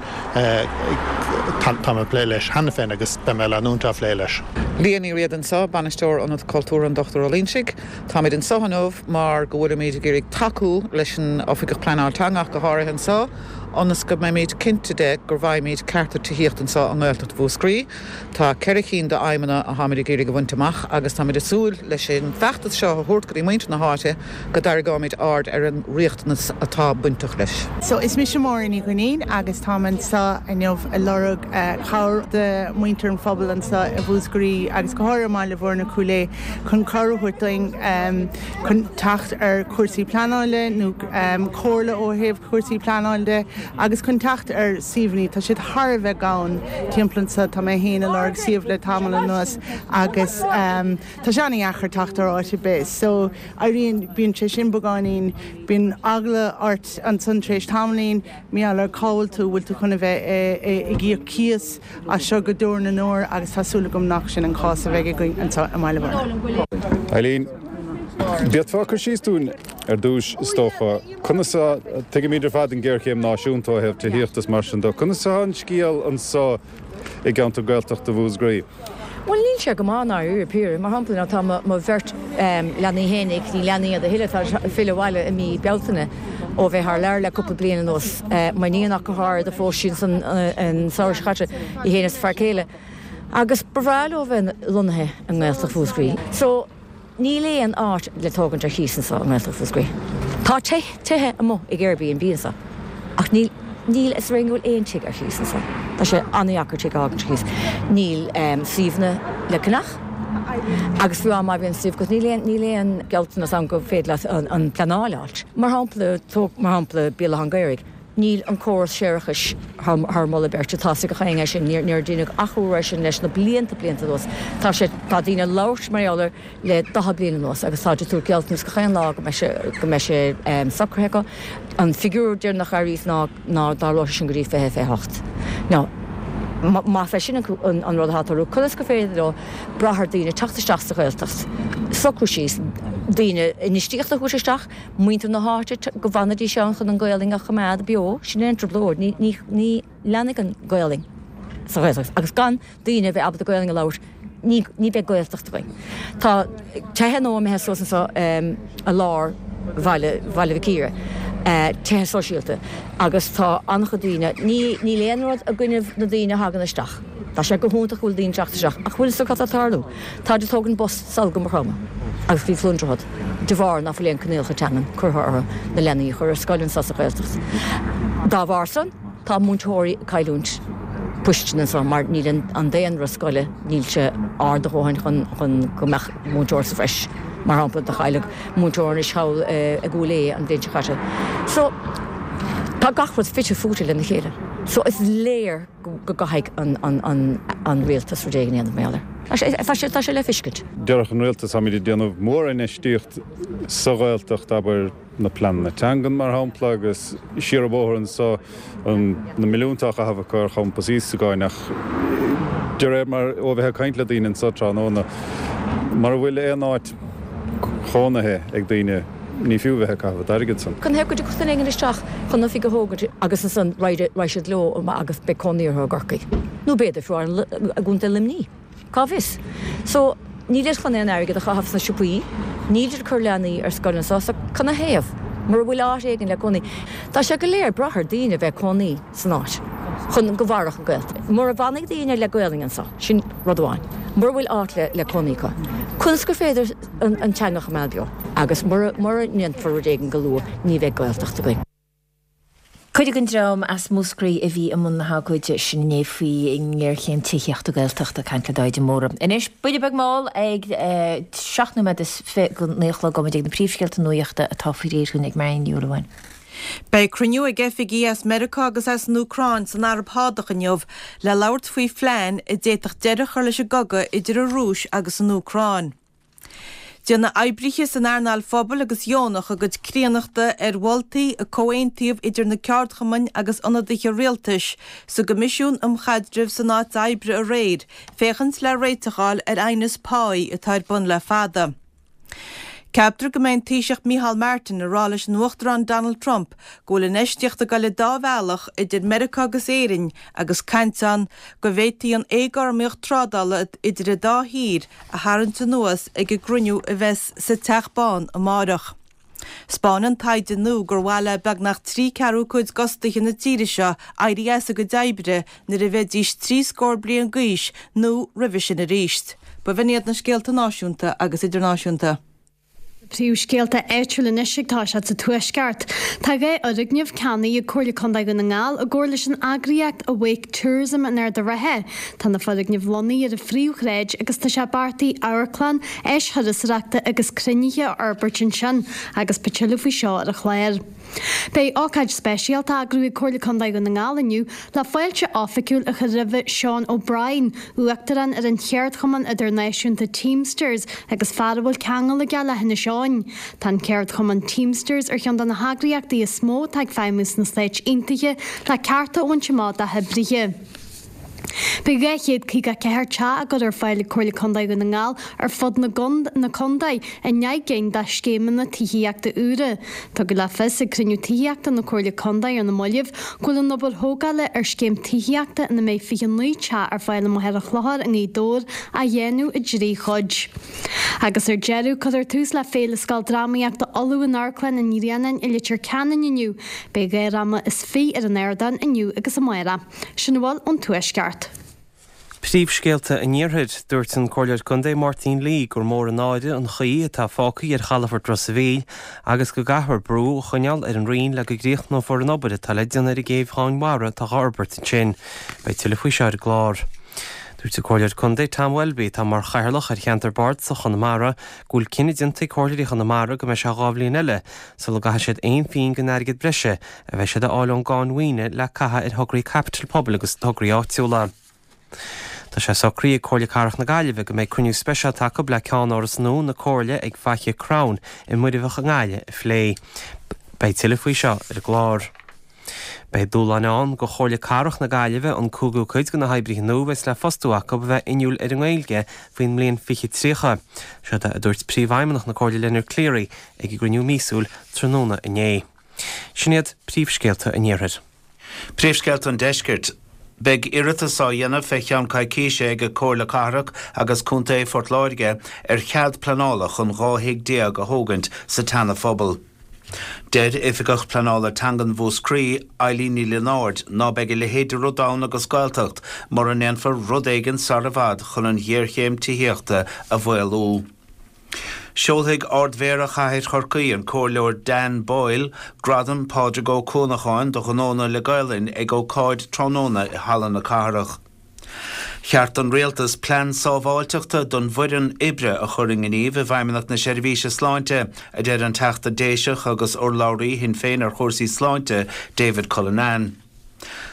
tá mé ag plé leis cheana féin agus beidh mé ag leanúint á phlé leis. Leah Ní Riada anseo, Bainisteoir Ionad Cultúrtha an Dochtúir Ó Loingsigh. Táimid anseo inniu mar go bhfuilimid ag iarraidh tacú leis an Oifigeach Pleanála Teanga ach go háirithe anseo, ionas go mbeimid cinnte de go bhfaighimid cearta tithíochta anseo i nGaeltacht Mhúscraí. Tá ceithre cinn d'aidhmeanna atáimid ag iarraidh a bhaint amach agus táimid ag súil leis an bhfeachtas seo a thabhairt go dtí muintir na háite go dtarraingeoimid aird ar an riachtanas atá bainteach leis. So is mise Máire Ní Dhuinnín agus táim anseo inniu ag lorg cabhair de mhuintir an phobail anseo i Mhúscraí agus go háirithe i mBaile Bhuirne Cúil Aodha chun cabhair a thabhairt dúinn chun teacht ar chúrsaí pleanála nó comhairle ó thaobh cúrsaí pleanála de agus chun teacht ar suíomhanna. Tá siad thar a bheith gann timpeall anseo. Tá mé féin ag lorg suíomh le tamall anuas agus tá sé an-dheacair teacht ar áit ar bith. So éiríonn, bíonn sé sin beagáinín, bíonn eagla ort ansan tar éis tamaillín, mar gheall ar cá bhfuil tú, bhfuil tú chun a bheith ag íoc cíos as seo go deo na ndeor agus tá súil agam nach sin an cás a bheidh againn anseo i mBaile Bhuirne. Eileen, D'fhéadfá cur síos dúinn ar dtús, is dócha, conas a, tuigimid ar fad an géarchéim náisiúnta ó thaobh tithíochta is mar sin de, conas atá an scéal anseo i gceantar Gaeltachta Mhúscraí? Bhuel, níl sé go maith i ndáiríre píre. Mar shampla, now tá mo bheirt leanaí fhéinig, ní leanaí iad a thuilleadh, tá ag filleadh abhaile i mí Bealtaine ó bheith thar lear le cúpla bliain anuas. M'iníon ach go háirid a phós sí ansan an samhradh seo caite, í fhéin is a fear céile. Agus ba bhreá leo bheith lonnaithe i nGaeltacht Mhúscraí. So, níl aon áit le tógaint ar chíos anseo i nGaeltacht Mhúscraí. Tá tithe amuigh ag Airbnb anseo ach níl, níl a fhios againn go bhfuil aon tigh ar chíos anseo. Tá sé an-dheacair tigh a fhágaint ar chíos. Níl suíomhanna le ceannach agus fiú má bhíonn suíomh agat níl aon, níl aon gealltanas ann go féidir leat an pleanáil a fháilt. Mar shampla, tóg mar shampla Béal Átha an Ghaorthaidh. Níl an córas séarachais thar moladh beirte. Tá a fhios ag gach éinne é sin. Níor deineadh athrú air sin leis na blianta, blianta anuas. Tá sé, tá daoine ag labhairt mar gheall air le daichead bliain anuas agus táid ag tabhairt gealltanas gach aon lá go mbeidh sé, go mbeidh sé socraithe acu. An figiúr deireanach a airíos ná, ná dtarlóidh sé sin go dtí fiche fiche hocht. Now, más é sin an, an rud atá ag tarlú, conas gur féidir leo brath ar daoine teacht isteach sa Ghaeltacht, socrú síos, daoine, infheistíocht a thabhairt isteach, muintir na háite go bhfanfaidís ann chun an Ghaelainn a choimeád beo, sin é an trioblóid, ní, ní, ní leanfaidh an Ghaelainn sa Ghaeltacht agus gan daoine a bheith ábalta Gaelainn a labhairt, ní, ní bheidh Gaeltacht againn. Tá tithe nua imithe suas anseo i lár bhaile, Bhaile Mhic Íre, tithe sóisialta agus tá an-chuid daoine, ní, níl aon rud i gcoinnibh na daoine a thagann isteach, tá sé go hiontach go bhfuil daoine ag teacht isteach ach bhfuil a fhios agat cad tá ag tarlú? Táid ag tógaint bus sall go Maigh Chromtha agus go dtí Cluain Droichead de bharr ná fuil aon coinníollacha teangan curtha orthu na leanaí a chur ar scoil anseo sa Ghaeltacht. Dá bharr san, tá múinteoirí ag cailliúint poist anseo mar níl an daonra scoile, níl sé ard a dhóthain chun chun go mbeadh múinteoir sa bhreis. Mar shampla, do cailleadh múinteoir anois thall i gCúil Aodha an bhliain seo caite. So, tá gach rud fite fuaite lena chéile. So, is léir go gcaithfidh an rialtas rud éigin a dhéanamh mar gheall air. Tá sé, tá sé le feiscint. Déarfadh an rialtas, táimid ag déanamh mórinfheistíocht sa Ghaeltacht, abair na pleananna teangan mar shampla, agus siar an bóthar anso na milliúnta á chaitheamh acu ar champas Íosagáin ach de réir mar, ó bheith ag caint le daoine anso tráthnóna, mura bhfuil aon áit chónaithe ag daoine, Ní fiú bheith ag caitheamh an t-airgead san. Canathaobh go dtiocfadh duine éigin isteach chun oifig a thógaint agus ansan raghaidh siad leo amach agus beidh cónaí orthu i gCorcaigh. Nó b'fhéidir fiú i gContae Luimní. Cá bhfios? So, nílid chun aon airgead a chaitheamh sna siopaí, nílid ag cur leanaí ar scoil anso, so canathaobh? Mura bhfuil áit éigin le cónaí. Tá sé go léir ag brath ar daoine a bheith ag cónaí san áit chun go mhairfeadh an Ghaeltacht. Mura bhfanfaidh daoine le Gaolainn anso, sin rud amháin. Mura bhfuil áit le cónaí acu, conas gur féidir an teanga a choimeád beo agus mura ndéanfar rud éigin go luath ní bheidh Gaeltacht againn. Cuid den dream as Múscraí a bhí i mbun na hagóide sin inné faoi ngéarchéim tithíochta Gaeltachta, ag caint le Daithí de Mórdha. Anois, buille beag mall ag seacht nóiméad is fiche go naoi a chlog, gabhfaimid ag na príomhscéalta nuachta atá faoi réir dúinn ag Marion Ní Shúilleabháin. Beidh cruinniú ag oifigigh as Meiriceá agus as an Úcráin san Araib Shádach inniu le labhairt faoi phlean a d'fhéadfadh deireadh a chur leis an gcogadh idir an Rúis agus an Úcráin. Déanfaidh oibrithe san earnáil phobail agus dheonach a gcuid críonnachta ar mholtaí a comhaontaíodh idir na ceardchumainn agus ionadaithe rialtais sa gCoimisiún um Chaidreamh san Áit Oibre aréir féachaint le réiteach a fháil ar aighneas páí atá ar bun le fada. Ceaptar go mbeidh an Taoiseach Micheál Martin ag rá leis an Uachtarán Donald Trump go bhfuil infheistíocht ag dul an dá bhealach idir Meiriceá agus Éirinn agus caint ann go bhféadfaí an éagothromaíocht trádála idir an dá thír a tharraingt anuas ag an gcruinniú a bheas sa Teach Bán amárach. 'Spáineann taighde nua gur mhaith le beagnach trí ceathrú cuid d'fhostaithe na tíre seo éirí as a gcuid oibre nuair a bheidís trí scór bliain d'aois nó roimhe sin arís. Ba bh'in iad na scéalta náisiúnta agus idirnáisiúnta. Príomhscéalta áitiúla anois ag toiseacht sa Tuaisceart. Tá dhá fhoirgneamh ceannaithe ag Comhairle Contae Dhún na nGall i gcomhar leis an eagraíocht Awake Tourism in Ard an Rátha. Tá na foirgnimh lonnaithe ar an phríomhshráid agus tá sé beartaithe amharclann, áis thurasóireachta agus cruinnithe a fhorbairt ansin agus beidh tuilleadh faoi seo ar an chlár. Beidh ócáid speisialta á eagrú ag Comhairle Contae Dhún na nGall inniu le fáilte oifigiúil a chur roimhe Sean O'Brien, Uachtarán ar an cheardchumann idirnáisiúnta Teamsters agus fear a bhfuil ceangal aige le hInis Eoghain. Tá an ceardchumann Teamsters ar cheann de na heagraíochtaí is mó atá ag feidhmiú sna Stáit Aontaithe le cearta a bhaint amach dá hoibrithe. Beidh dhá chéad caoga a ceathair teach á gcur ar fáil ag Comhairle Contae Dhún na nGall ar fud na na contae i ndeich gcinn de scéimeanna tithíochta úra. Tugadh le fios ag cruinniú tithíochta na Comhairle Contae ar na mallaibh go bhfuil an obair thógála ar scéim tithíochta ina mbeidh fiche naoi teach ar fáil i Machaire Chlochair i nGaoth Dobhair á dhéanamh i dtrí chuid. Agus ar deireadh, cuirfear tús le Féile Scoil Drámaíochta Uladh in Amharclann an Ghrianáin i Leitir Ceanainn inniu. Beidh dhá dhráma is fiche ar an ardán inniu agus amárach. Sin a bhfuil ón Tuaisceart. Príomhscéalta an Iarthair, Dúirt an Comhairleoir Contae Máirtín Lee gur mór an náire an chaoi atá fágtha ar chalafort Ros a' Mhíl agus go gcaithfear brú a choinneáil ar an Roinn le go gcríochnófar an obair atá le déanamh ar an gcéibh Mhara atá á fhorbairt ansin. Beidh tuilleadh faoi seo ar an gclár. Dúirt an Comhairleoir Contae Tom Welby, atá mar chathaoirleach ar cheantar bardasach Chonamara, go bhfuil cinneadh déanta ag comhairleoirí Chonamara go mbeidh sé dhá bhliain eile sula gcaithfidh siad aon phingin den airgead breise a bheidh siad a fháil ón gcáin mhaoine le caitheamh ar thograí caipitil pobail agus tograí áitiúla. Tá sé socraithe ag Comhairle Cathrach na Gaillimhe go mbeidh cruinniú speisialta acu le ceannáras nua na Comhairle ag Faiche Crown i Muirbheach i nGaillimh a phlé. Beidh tuilleadh faoi seo ar an gclár. Beidh dúshláin ann do Chomhairle Cathrach na Gaillimhe an cúigiú cuid de na hoibrithe nua a bheas le fostú acu a bheith inniúil ar an nGaeilge faoin mbliain fiche tríocha. Seo a dúirt Príomhfheidhmeannach na Comhairle Leonard Cleary ag a gcruinniú míosúil tráthnóna inné. Sin iad príomhscéalta an Iarthair. Príomhscéalta an Deiscirt. Beidh iarratas á dhéanamh fé cheann coicíse ag Comhairle Cathrach agus Contae Phort Láirge ar chead pleanála chun dhá thigh déag a thógaint sa tSeana-Phobal. Deir Oifigeach Pleanála Teangan Mhúscraí, Eileen Ní Lionáird, ná beidh a leithéid de rud ann agus Gaeltacht mura ndéanfar rud éigin sar i bhfad chun an ghéarchéim tithíochta a mhaolú. Seolfaidh Ard-Mhéara Chathair Chorcaí, an Comhairleoir Dan Boyle, Gradam Pádraig Ó Cuanacháin do ghnónna le Gaelainn ag ócáid tráthnóna i Halla na Cathrach. Cheart don Rialtas plean sábháilteachta don bhfoireann oibre a chur i ngníomh i bhFeidhmeannacht na Seirbhíse Sláinte, a deir an Teachta Déiseach agus urlabhraí Shinn Féin ar chúrsaí sláinte, David Cullinane.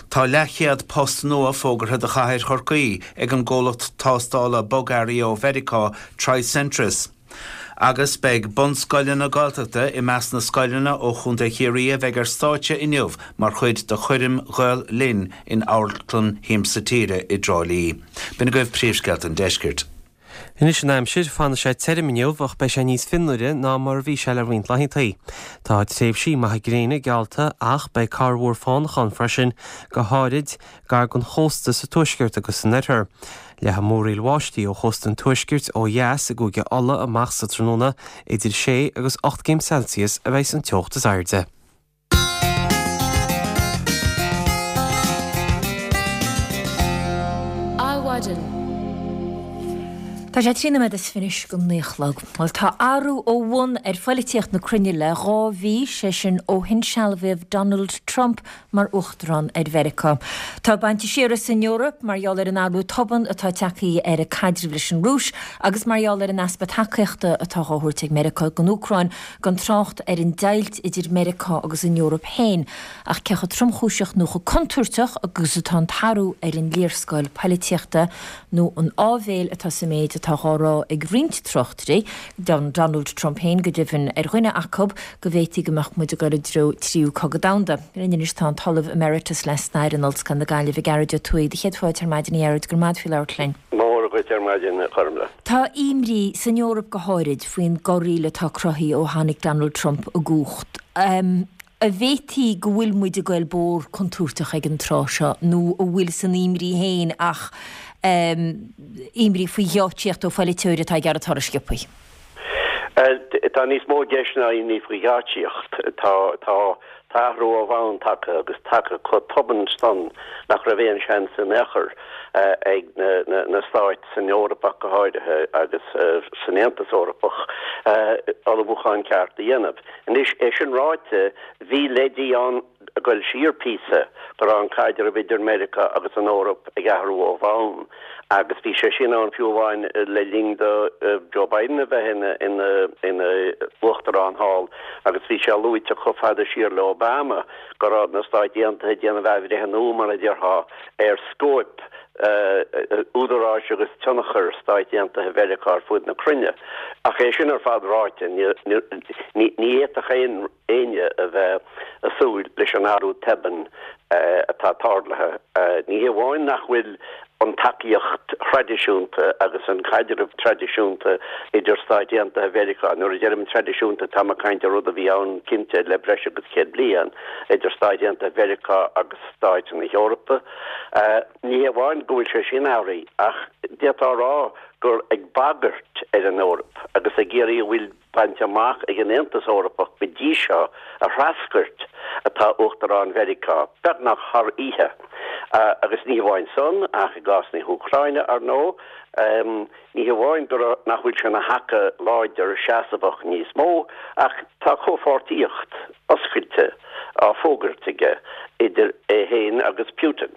Tá leathchéad post nua fógartha do chathair Chorcaí ag an gcomhlacht tástála bogearraí ó Mheiriceá, Tricentris. Agus beidh bunscoileanna Gaeltachta i measc na scoileanna ó Chontae Chiarraí a bheidh ar stáitse inniu mar chuid de choirm Ghael Linn in Amharclann Shiamsa Tíre i dTrá Lí. B'in agaibh príomhscéalta an deiscirt. Anois an aimsir, fanfaidh sé tirim inniu ach beidh sé níos fionnuaire ná mar a bhí sé le roinnt laethanta. Tá tréimhsí maithe gréine geallta ach beidh corrmhúr fánach ann freisin, go háirid gar don chósta sa tuaisceart agus san oirthear. Leathfaidh múraíl bháistí ó chósta an tuaiscirt ó dheas i gCúige Uladh amach sa tráthnóna, idir sé agus ocht gcéim Celsius a bheidh an teocht is airde. Adhmhaidin. Tá sé trí nóiméad is fiche go naoi a chlog. Bhuel, tá athrú ó bhun ar phoilitíocht na cruinne le dhá mhí, sé sin ó hinsealbhaíodh Donald Trump mar uachtarán ar Mheiriceá. Tá bainte siar as an Eoraip mar gheall ar an athrú tobann atá tagtha ar a caidreamh leis an Rúis agus mar gheall ar an easpa tacaíochta atá á thabhairt ag Meiriceá don Úcráin, gan trácht ar an deighilt idir Meiriceá agus an Eoraip féin. Ach cé chomh tromchúiseach nó chomh contúirteach agus atá an t-athrú ar an léarscáil poilitíochta nó an áibhéil atá sa méid atá á rá ag roinnt tráchtairí, Donald Trump féin go deimhin ar dhuine acu, go bhféadfaí go mbeadh muid ag dul i dtreo tríú cogadh domhanda. Linn anois tá an tOllamh Emeritus le Stair in Ollscoil na Gaillimhe, Gearóid Ó Tuathaigh. Do chéad fáilte ar maidin a Ghearóid, go raibh maith agat faoi labhairt linn. Móra dhuit. duit ar maidin, a Ghormfhlaith. Tá imní san Eoraip go háirid faoin gcorraíl atá cruthaithe ó tháinig Donald Trump i gcumhacht. An bhféadfaí go bhfuil muid ag goil bóthar contúirteach ag an tráth seo nó an bhfuil san imní féin ach imní faoi gheáitsíocht ó pholaiteoirí atá ag iarraidh toradh sciobtha? Tá níos mó i gceist ná imní faoi gheáitsíocht. Tá tá tá athrú ó bhonn tagtha agus tagtha chomh tobann san nach raibh aon seans in aon chor ag na stáit san Eoraip ach go háirithe agus san Aontas Eorpach ullmhúchán ceart a dhéanamh. Anois, é sin ráite, bhí leidí ann ag goil siar píosa go raibh an caidreamh idir Meiriceá agus an Eoraip ag athrú ó bhonn agus bhí sé sin ann fiú amháin le linn do Joe Biden a bheith ina ina ina uachtarán thall agus bhí sé luaite chomh fada siar le Obama go raibh na Stáit Aontaithe ag déanamh athbhreithniú, mar a déarfá, ar scóip údaráis agus tionchar Stáit Aontaithe Mheiriceá ar fud na cruinne. Ach é sin ar fad ráite, ní fhéadfadh aon éinne a bheith ag súil leis an athrú tobann atá tarlaithe. Ní hé amháin nach bhfuil an tacaíocht thraidisiúnta agus an caidreamh traidisiúnta idir Stáit Aontaithe Mheiriceá, nuair a deirim traidisiúnta táim ag caint ar rud a bhí ann cinnte le breis agus céad bliain, idir Stáit Aontaithe Mheiriceá agus Stáit na hEorpa. Ní hé amháin go bhfuil sé sin athraithe ach d'fhéadfá a rá gur ag bagairt ar an Eoraip agus ag iarraidh a bhfuil bainte amach ag an Aontas Eorpach go dtí seo a threascairt atá Uachtarán Mheiriceá, beagnach thar oíche. Agus ní hamháin san, ach i gcás na hÚcráine, ar ndóigh, ní hamháin go nach bhfuil sé ina thaca láidir seasmhach níos mó, ach tá comhpháirtíocht oscailte á fógairt aige idir é féin agus Putin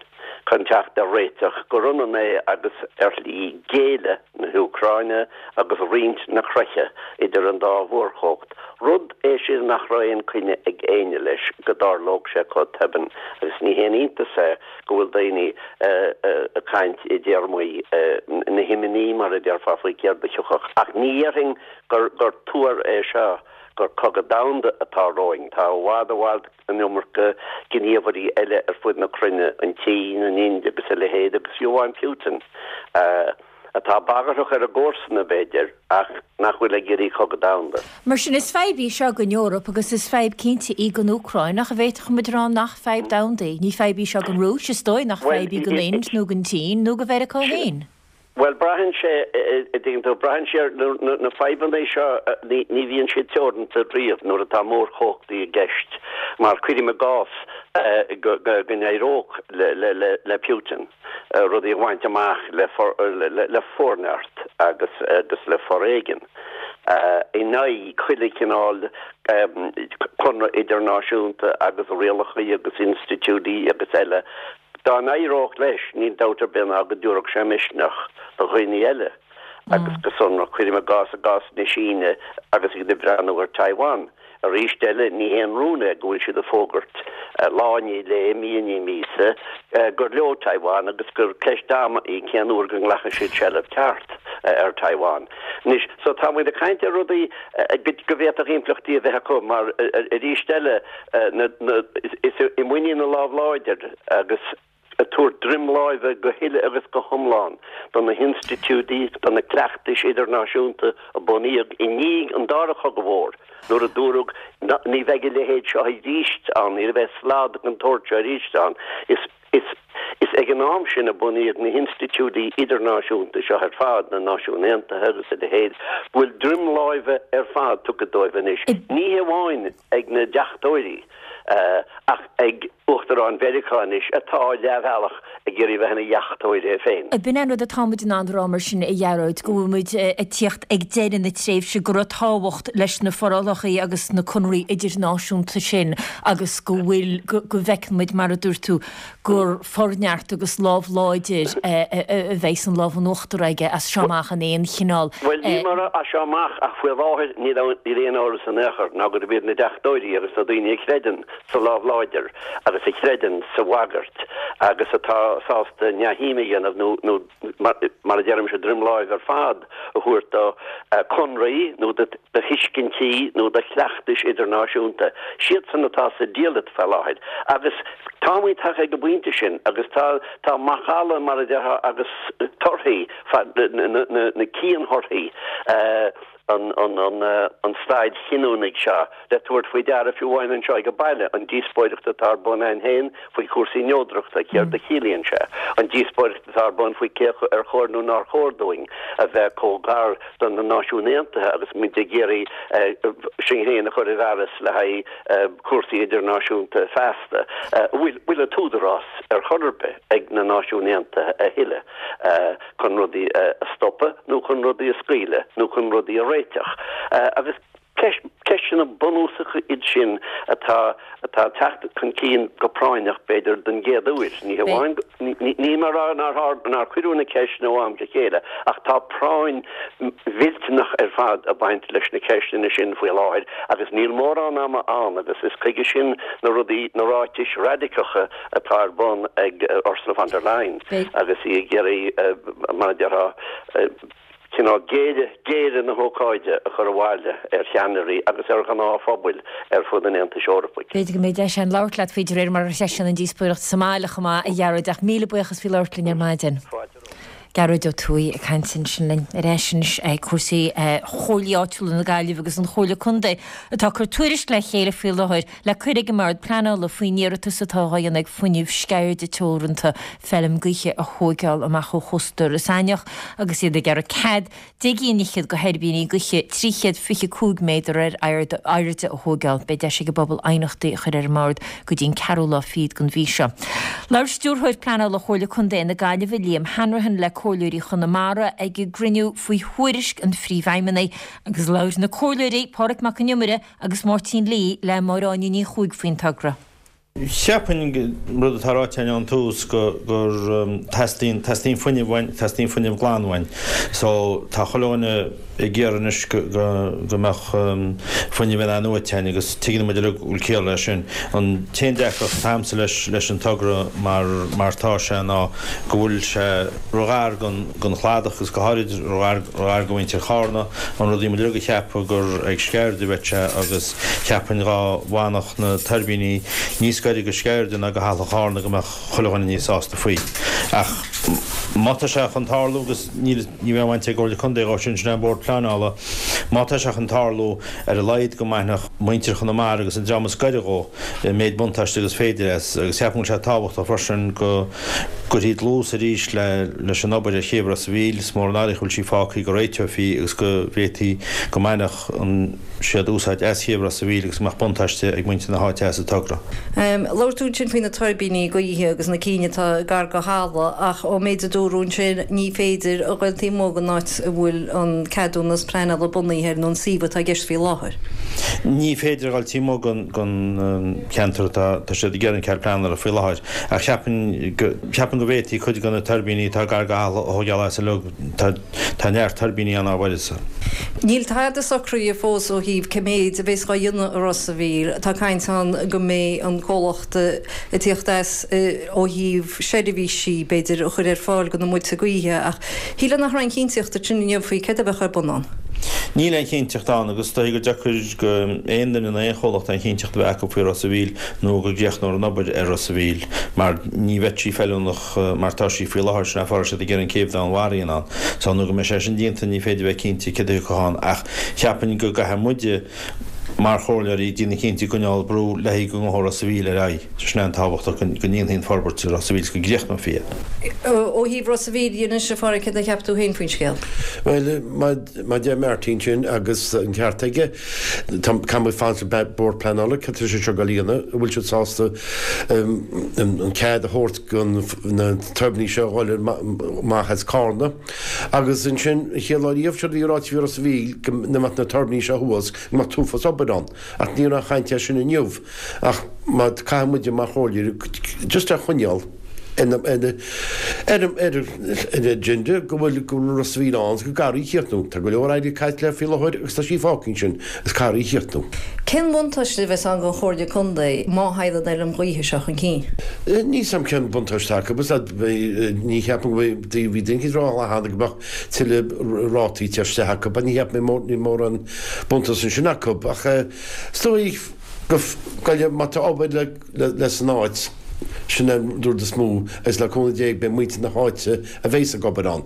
chun teacht ar réiteach gur ionann é agus ar shlí géilleadh na hÚcráine agus roinnt na creiche idir an dá mhórchumhacht, rud é sin nach raibh aon coinne ag éinne leis go dtarlódh sé chomh tobann agus ní haon iontas é go bhfuil daoine ag caint i dtéarmaí na himní mar a déarfá faoi céard a thiocfadh ach ní dhéarfainn gur gur tuar é seo gur cogadh domhanda atá romhainn. Tá i bhfad i bhfad an iomarca gníomhairí eile ar fud na cruinne, an tSín, an Ind agus a leithéid, agus fiú amháin Putin, atá bagarthach ar a gcomharsana, b'fhéidir, ach nach bhfuil ag iarraidh cogadh domhanda. Mar sin, is fadhb í seo don Eoraip agus is fadhb cinnte í don Úcráin, ach an bhféadfadh muid a rá nach fadhb domhanda í? Ní fadhb í seo don Rúis, is dóigh nach fadhb í don Ind nó don tSín nó do Mheiriceá féin. Bhuel, braitheann sé, a dtuigeann tú, braitheann sé ar na fadhbanna seo, ní bhíonn siad teoranta riamh nuair atá mórchumhachtaí i gceist, mar cuirim i gcás go n-éireodh le Putin rudaí a bhaint amach le forneart agus agus le foréigean in aghaidh chuile chineál conradh idirnáisiúnta agus rialacha agus institiúidí agus eile. Dá n-éireodh leis, níl dabht ar bith ná go dtabharfadh sé misneach do dhaoine eile, agus go sonrach, cuirim i gcás, i gcás na Síne agus iad ag breathnú ar Taiwan. Arís eile, ní haon rún é go bhfuil siad ag fógairt, lá i ndiaidh lae, mí i ndiaidh míosa, gur leo Taiwan agus gur ceist ama í cén uair go nglacfaidh siad seilbh ceart ar Taiwan. Anois, so tá muid ag caint ar rudaí go bhféadfadh impleachtaí a bheith acu mar, arís eile, is i muinín na lámh láidir agus ag tabhairt droim láimhe go huile agus go hiomlán do na hinstitiúidí, do na cleachtais idirnáisiúnta a bunaíodh i ndiaidh an Dara Cogadh Mhór, nuair a dúradh ní bheidh a leithéid seo arís ann, ní bheidh slad den tsórt seo arís ann. Is is ag an am sin a bunaíodh na hinstitiúidí idirnáisiúnta seo ar fad, na Náisiúin Aontaithe agus a leithéid, go bhfuil droim láimhe ar fad tugtha dóibh anois, ní hamháin ag na deachtóirí ach ag Uachtarán Mheiriceá anois atá leathbhealach ag iarraidh bheith ina dheachtóir é féin. B'in é an rud atá muid in ann a rá mar sin, a Ghearóid, go bhfuil muid ag tíocht ag deireadh na tréimhse go raibh tábhacht leis na forálacha agus na conarthaí idirnáisiúnta sin agus go bhfuil, go bhfeiceann muid, mar a dúirt tú, gur forneart agus lámh láidir a bheidh an lámh in uachtar aige as seo amach in aon chineál. Bhuel, ní mar as seo amach ach faoi láthair níl aon amhras in aon chor ná gurb iad na deachtóirí agus na daoine a chreideann sa lámh láidir agus a chreideann sa bhagairt agus atá sásta neamhshuim a dhéanamh nó, nó mar a deirimse, droim láimhe ar fad a thabhairt do chonarthaí nó do thuiscintí nó do chleachtais idirnáisiúnta. Siadsan atá sa diallait faoi láthair agus táimid tagtha ag an bpointe sin agus tá tá macalla, mar a déarfá, agus torthaí na cianthorthaí an staid chinniúnach seo le tabhairt faoi deara fiú amháin anseo ag baile, an díospóireacht atá ar bun ann féin faoi chúrsaí neodrachta, céard a chiallaíonn sé, an díospóireacht atá ar bun faoi cé ar chóir nó nár chóir dúinn a bheith chomh gar do na Náisiúin Aontaithe agus muid ag iarraidh sinn féin a chur i bhfearas le haghaidh cúrsaí idirnáisiúnta feasta. Bhfuil an t-údarás ar chor ar bith ag na Náisiúin Aontaithe a thuilleadh chun rudaí a stopadh nó chun rudaí a scaoileadh nó chun rudaí a réiteach? Agus ceisteanna bunúsacha iad sin atá atá ag teacht chun cinn go práinneach, b'fhéidir, den gcéad uair. Ní hamháin, níl mé ag rá nár nár cuireadh na ceisteanna ó am go chéile, ach tá práinn mhillteanach ar fad ag baint leis na ceisteanna sin faoi láthair agus níl mórán ama ann agus is chuige sin na rudaí, na ráitis raidiceacha atá ar bun ag Ursula von der Leyen agus í ag iarraidh, mar a déarfá, cineál géire, géire na hócáide a chur abhaile ar cheannairí agus ar ghnáthphobail ar fud an Aontais Eorpaigh. B'fhéidir go mbeidh deis againn labhairt leat faoi de réir mar a threisíonn an díospóireacht sa mbaile chomh maith, a Ghearóid, ach míle buíochas faoi labhairt linn ar maidin. Fáilte romhat. Gearóid Ó Tuathaigh ag caint ansin linn ar ais anois ag cúrsaí Chomhairlí Áitiúla na Gaillimhe agus an Chomhairle Contae atá ag cur tuairisc le chéile faoi láthair le cur ag an mBord Pleanála faoin iarratas atá á dhéanamh ag Fuinneamh Sceirde Teoranta feilm gaoithe a thóigeáil amach ó chósta Iorras Aithneach agus iad ag iarraidh cead deich gcinn fhichead de thuirbíní gaoithe trí chéad fiche cúig méadar ar airde a thóigeáil. Beidh deis ag an bpobal aighneachtaí a chur ar an mBord go dtí an ceathrú lá fichead den mhí seo. Labhair Stiúrthóir Pleanála Chomhairle Contae na Gaillimhe, Liam Hanrahan, le Comhairleoirí Chonamara ag a gcruinniú faoi thuairisc an Phríomhfheidhmeannaigh agus labhair na Comhairleoirí, Pádraig Mac Con Iomaire agus Máirtín Lee le Máire Áine Ní Chuaig faoin togra. Cheapfainn, rud atá ráite againn ón tús, go gur teastaíonn, teastaíonn fuinneamh uainn, teastaíonn fuinneamh glan uainn. So tá chuile dhuine ag iarraidh anois go, go, go mbeadh fuinneamh in-athnuaite againn agus tuigeann muid uilig go bhfuil ciall leis sin. An t-aon deacracht atá agamsa leis, leis an togra mar, mar tá sé ná go bhfuil sé ro-ghar gon, gon chladach agus go háirid ro-ghar, ro-ghar go mhuintir Chárna, an rud a bhí muid uilig ag ceapadh gur ag Sceirde a bheadh sé agus cheapfainn dhá bhfanfadh na tuirbíní níos gaire go Sceirde ná go Halla Chárna go mbeadh chuile dhuine níos sásta faoi. Ach má tá sé chun tarlú, agus níl, ní bheidh aon bhaint ag an gComhairle Contae dhó sin, sin é an Bord Pleanála, má tá sé chun tarlú, ar a laghad go mbainfeadh muintir Chonamara agus an dream is gaire dhó an méid buntáiste agus féidir as. Agus cheapfainn go bhfuil sé tábhachtach freisin go gcuirfí dlús arís le leis an obair ar chéibh Ros a' Mhíl, is mór an náire go bhfuil sí fágtha, go réiteofaí agus go bhféadfaí go mbainfeadh an. siad úsáid as chéibh Ros a' Mhíl agus go mbeadh buntáiste ag muintir na háite as an togra. Labhair tú ansin faoi na tuirbíní gaoithe agus na cinn atá gar go halla ach ón méid a dúradh ansin ní féidir a ghoil taobh amuigh den áit a bhfuil an ceadúnas pleanála bunaithe air nó an suíomh atá i gceist faoi láthair. Ní féidir a ghoil taobh amuigh den cheantar atá tá siad ag iarraidh an cead pleanála faoi láthair ach cheapfainn go cheapfainn go bhféadfaí cuid de na tuirbíní atá gar go halla a thógáil as uilig. Tá Tá neart tuirbíní ann á bhfuil. Níl tada socraithe fós ó thaobh cé méid a bheas dhá dhéanamh i Ros a' Mhíl. Tá caint ann go mbeidh an comhlacht ag tíocht as ó thaobh seirbhísí, b'fhéidir, a chur ar fáil do na muilte gaoithe ach shílfeá nach raibh aon chinnteacht ansin inniu faoi céard a bheadh ar bun ann. Níl aon chinnteacht ann agus is dóigh gur deacair go aon duine nó aon chomhlacht aon chinnteacht a bheith acu faoi Ros a' Mhíl nó go gcríochnófar an obair ar Ros a' Mhíl mar ní bheidh sí feiliúnach mar tá sí faoi láthair, sin é an fáth a raibh siad ag iarraidh an céibh domhainmhara a dhéanamh ann. So nó go mbeidh sé sin déanta ní féidir bheith cinnte céard a thiocfadh ann ach cheapfainn go gcaithfidh muide mar chomhairleoirí déanamh cinnte i gcoinneáil brú le haghaidh go ngabhfaidh Ros a' Mhíl ar aghaidh. Sin é an tábhachtach go ndéanfaí an forbairt i Ros a' Mhíl is go gcríochnófaí é. Ó thaobh Ros a' Mhíl dhe anois, a Phádraig, céard a cheap tú féin faoin scéal? Bhuel, mar a deir Martin sin agus an ceart aige, caithfidh muid fanacht le Bord Pleanála, cad tá sé seo ag dul a dhéanamh, an bhfuil siad sásta an cead a thabhairt do na tuirbíní seo a dhul amach as Cárna. Agus ansin, an chéad lá riamh, séard a bhí ráite faoi Ros a' Mhíl, go mbeadh na tuirbíní seo thuas, go mbeadh t-uafás obair ann. Ach ní raibh aon chaint air sin inniu. Ach má caithfidh muide mar chomhairleoirí just é a choinneáil ar an agenda go bhfuil go bhfuil Ros a' Mhíl ann agus go gcaithfear í a chríochnú. Tá go leor airgead caite léi faoi láthair agus tá sí fágtha ansin agus caithfear í a chríochnú. Cén bhuntáiste a bheas ann don Chomhairle Contae má thagann an fheilm ghaoithe seo chun cinn? Níl 's a'm cén buntáiste acu is ní cheapaim go mbeidh, bhí duine éicint ag rá cheana go mbeadh tuilleadh rátaí ag teacht isteach acu, ní cheapaim níl mórán buntáiste ansin acu ach is dóigh go, go, má tá obair le, le san áit Sin an rud is mó agus le cúnamh Dé beidh muintir na háite a bheas ag obair ann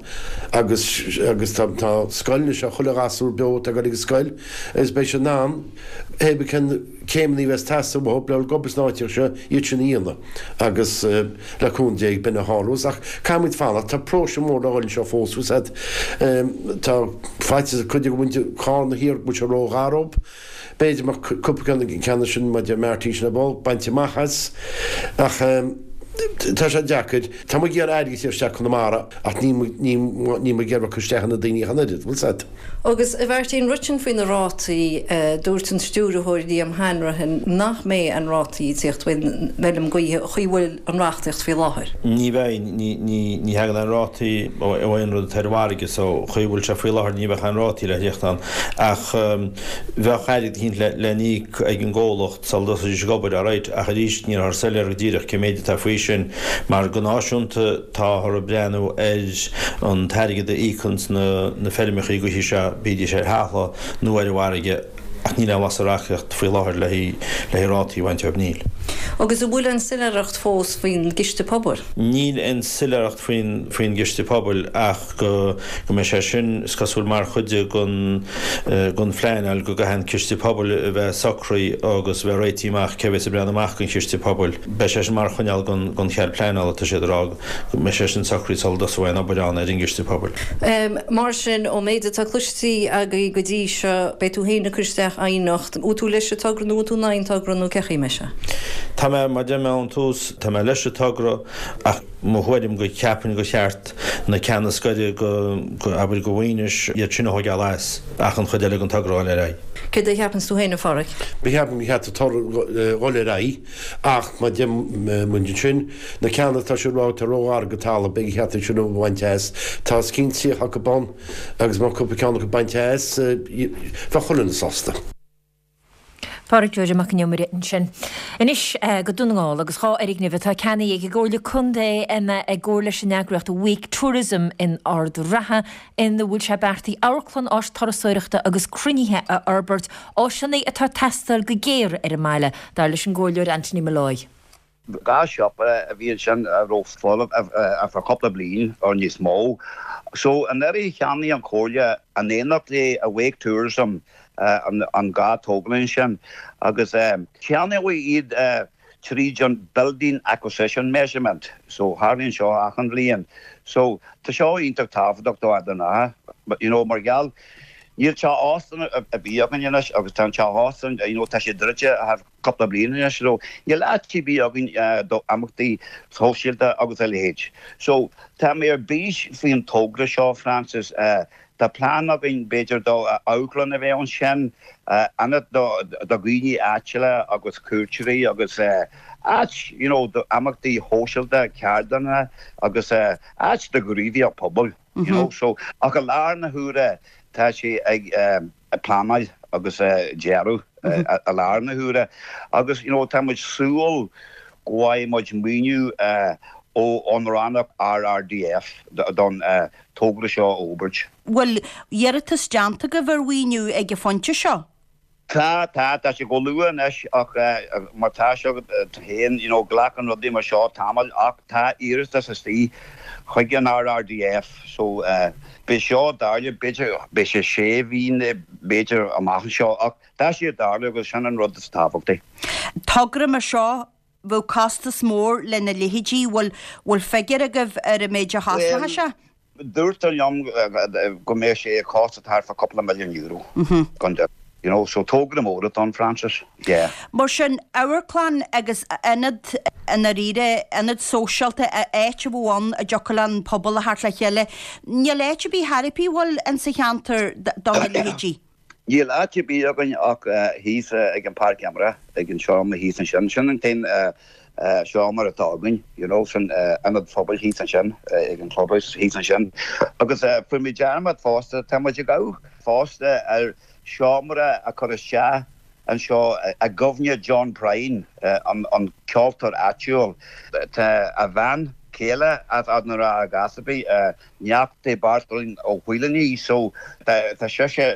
agus agus tá tá scoil anois chuile ghasúr beo atá ag dul ag an scoil agus beidh siad in ann hé bí cén céimeanna a bheas teastáil uathu le ag obair san áit seo iad sin a dhéanamh agus le cúnamh Dé b'in a tharlós ach caithfimid fanacht tá próiseas mór le dhul anseo fós bhfuil a fhios agat tá faitíos ag cuid de mhuintir Charna thiar go bhfuil sé róghar dóibh. B'fhéidir mbeadh cúpla ceann sin maidir Marty sin a bainte amach as ach tá sé deacair. Tá muid ag iarraidh airgead a chur isteach Conamara ach ní ní ní muid ag iarraidh cur isteach ar na daoine ach an oiread, bhfuil 's agat. Agus a Mháirtín, rud sin faoi na rátaí, dúirt an stiúrthóir Liam Hanrahan nach mbeidh aon rátaí ag tíocht faoin bhfeilm gaoithe chaoi bhfuil an reachtaíocht faoi láthair. Ní bheidh, ní ní ní thagann aon rátaí ó aon rud atá ar an bhfarraige so chaoi bhfuil sé faoi láthair ní bheadh aon rátaí le theacht ann ach bheadh airgead eicínt le n-íoc ag an gcomhlacht sula dtosóidís ag obair, alright, ach arís nílthear soiléir go díreach cé méid atá faoi sin mar go náisiúnta táthar ag breathnú ar an t-airgead a íocanns na na feirmeachaí gaoithe seo, bídís ar thalamh nó ar an bhfarraige, ach níl aon bhlas sa reachtaíocht faoi láthair le haghaidh rátaí a bhaint dóibh, níl. Agus an bhfuil aon soiléireacht fós faoin gCiste Pobail? Níl aon soiléireacht faoin faoin gCiste Pobail ach go go mbeidh sé sin, is cosúil, mar chuid den den phleanáil go gcaithfidh an Ciste Pobail a bheith socraithe agus a bheith réitithe amach cé a bheas ag breathnú amach don Chiste Pobail. Beidh sé sin mar choinníoll den den chead pleanála, tá siad ag rá go mbeidh sé sin socraithe sula dtosóidh aon obair ann ar an gCiste Pobail. Mar sin, ón méid atá cloiste agaibh go dtí seo, beidh tú féin ag cur isteach aighneacht. Bhfuil tú leis an togra nó bhfuil tú in aghaidh an togra nó cén chaoi a mbeidh sé? Tá mé, mar a deir mé ón tús, tá mé leis an togra ach mo thuairim go ceapaim gur cheart na ceanna is gaire go, abair, go Mhaínis, iad sin a thóigeáil as ach an chuid eile den togra a dhul ar aghaidh. Céard a cheapanns tú féin, a Pháraic? Ceapaim gur cheart an togra dhul ar aghaidh ach mar a deir muid ansin, na ceanna atá siad ag rá atá róghar go talamh, beidh cheart iad sin a bhaint as. Tá os cionn tríocha acu ann agus má cúpla ceann acu bainte as, bheadh chuile dhuine sásta. Páraic Joe Mac an Iomaire ansin. Anois go Dún na nGall agus dhá fhoirgneamh atá ceannaithe ag an gComhairle Contae i gcomhar leis an eagraíocht Awake Tourism in Ard an Rátha ina bhfuil sé beartaithe amharclann, áis turasóireachta agus cruinnithe a fhorbairt, áiseanna atá ag teastáil go géar ar an mbaile, dar leis an gComhairleoir Anthony Molloy. Dhá shiopa a bhí ansin a raibh folamh ar feadh cúpla bliain or níos mó. So anuraidh cheannaigh an Chomhairle in éineacht le Awake Tourism an dhá tógáil sin agus ceannaíodh iad tríd an Building Acquisition Measurement. So tharlaíonn seo achan bhliain. So tá seo iontach tábhachtach do Ard an Rátha you know mar gheall níl teach óstáin ar bith againn anois agus tá an teach óstáin you know tá sé druidte thar cúpla bliain anois so níl áit ar bith againn do imeachtaí sóisialta agus a leithéid. So tá mé ar bís faoin togra seo, Frances. Tá plean againn b'fhéidir do amharclann a bheith ansin, ionad do dhaoine áitiúla agus cuairteoirí agus áit you know do imeachtaí shóisialta, ceardlanna agus áit do ghníomhaíocht pobail you know. So ach i láthair na huaire tá sé ag. pleanáil agus dearadh i láthair na huaire agus you know tá muid súil go bhfaighidh muid maoiniú ó ón rannóg RRDF don togra seo a fhorbairt. Bhfuil iarratas déanta agaibh ar mhaoiniú ag an phointe seo? Tá, tá, tá sé chomh luath anois ach mar tá sé agat féin, you know, glacann rudaí mar seo tamall ach tá iarratas istigh chuig an RRDF so beidh seo ag tarlú, b'fhéidir, beidh sé sé mhí nó b'fhéidir amach anseo ach tá sé ag tarlú agus sin an rud is tábhachtaí. Togra mar seo, bheadh costas mór lena leithéidí, bhfuil, bhfuil figiúr agaibh ar an méid a chosnódh sé? Dúirtear liom go mbeadh sé ag costas thart fá cúpla milliún euro, gan dabht. You know, so togra mór atá ann, Frances, yeah. Mar sin, amharclann agus ionad i ndáiríre, ionad sóisialta, áit a bheadh ann a dtiocfadh le an pobal a theacht le chéile. Níl áit ar bith chor ar bith, an bhfuil, insa cheantar do na leithéidí? Níl áit ar bith againn ach thíos ag an páirc imeartha, ag an seomra thíos ansin. Sin an t-aon seomra atá againn, you know, san ionad phobail thíos ansin, ag an clubhouse thíos ansin. Agus fuair muid dearmad fosta, tá muid ag amharc fosta ar seomra a chur isteach anseo i gcuimhne John Prine, an ceoltóir áitiúil. Tá a bhean chéile as Ard na Rátha Gasabi, neacht Beairtlín Ó Faoláin í so tá sise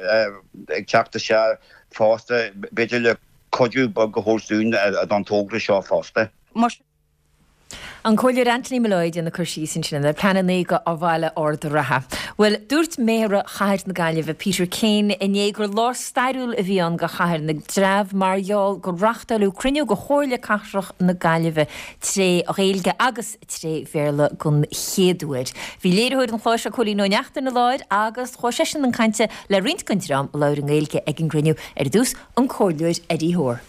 ag teacht isteach fosta b'fhéidir le cuidiú beag a thabhairt dúinn don togra seo fosta. Mar An Comhairleoir Anthony Molloy ag déanamh cur síos ansin ar pleananna do Bhaile Ard an Rátha. Bhuel, dúirt Méara Chathair na Gaillimhe Peter Keane inné gur lá stairiúil a bhí ann do Chathair na dTreabh mar gheall gur reáchtáladh cruinniú de Chomhairle Cathrach na Gaillimhe tré Ghaeilge agus tré Bhéarla den chéad uair. Bhí léiritheoir an chláir seo Cóilín Ó Neachtain i láthair agus chuaigh seisean chun cainte le roinnt den dream a labhair i nGaeilge ag an gcruinniú ar dtús an Comhairleoir Eddie Hoare.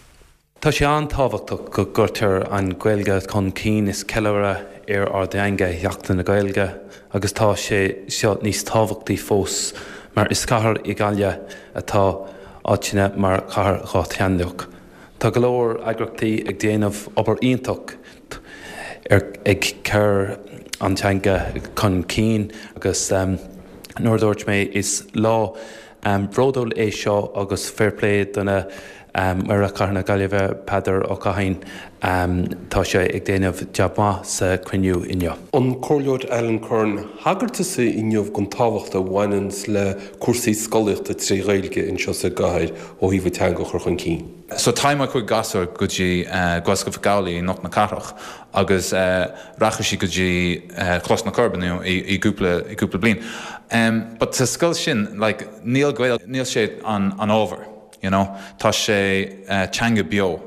Tá sé an-tábhachtach go gcuirtear an Ghaeilge chun cinn is ceiliúradh ar ár dteanga Sheachtain na Gaeilge agus tá sé seo níos tábhachtaí fós mar is cathair í Gaillimh atá aitheanta mar chathair dhátheangach. Tá go leor eagraíochtaí ag déanamh obair iontach ar ag cur an teanga chun cinn agus um, nuair dúirt mé is lá um, bródúil é seo agus fair play do na um, Méara Chathair na Gaillimhe Peadar Ó Cadhain um, tá sé ag déanamh jab maith sa cruinniú inniu. An Comhairleoir Alan Curran thagair tusa inniu don tábhacht a bhaineann le cúrsaí scolaíochta trí Ghaeilge anseo sa gcathair ó thaobh teanga a chur chun cinn. So tá mo chuid gasúr go dtí uh, Gaelscoil Mhic Amhlaigh i gCnoc na Cathrach agus uh, rachaidh sí go dtí uh, Coláiste na Coiribe i, i gcúpla i gcúpla bliain. Um, but sa scoil sin like, níl Gaeilge níl sé an, an ábhar. You know? Tá sé uh, teanga beo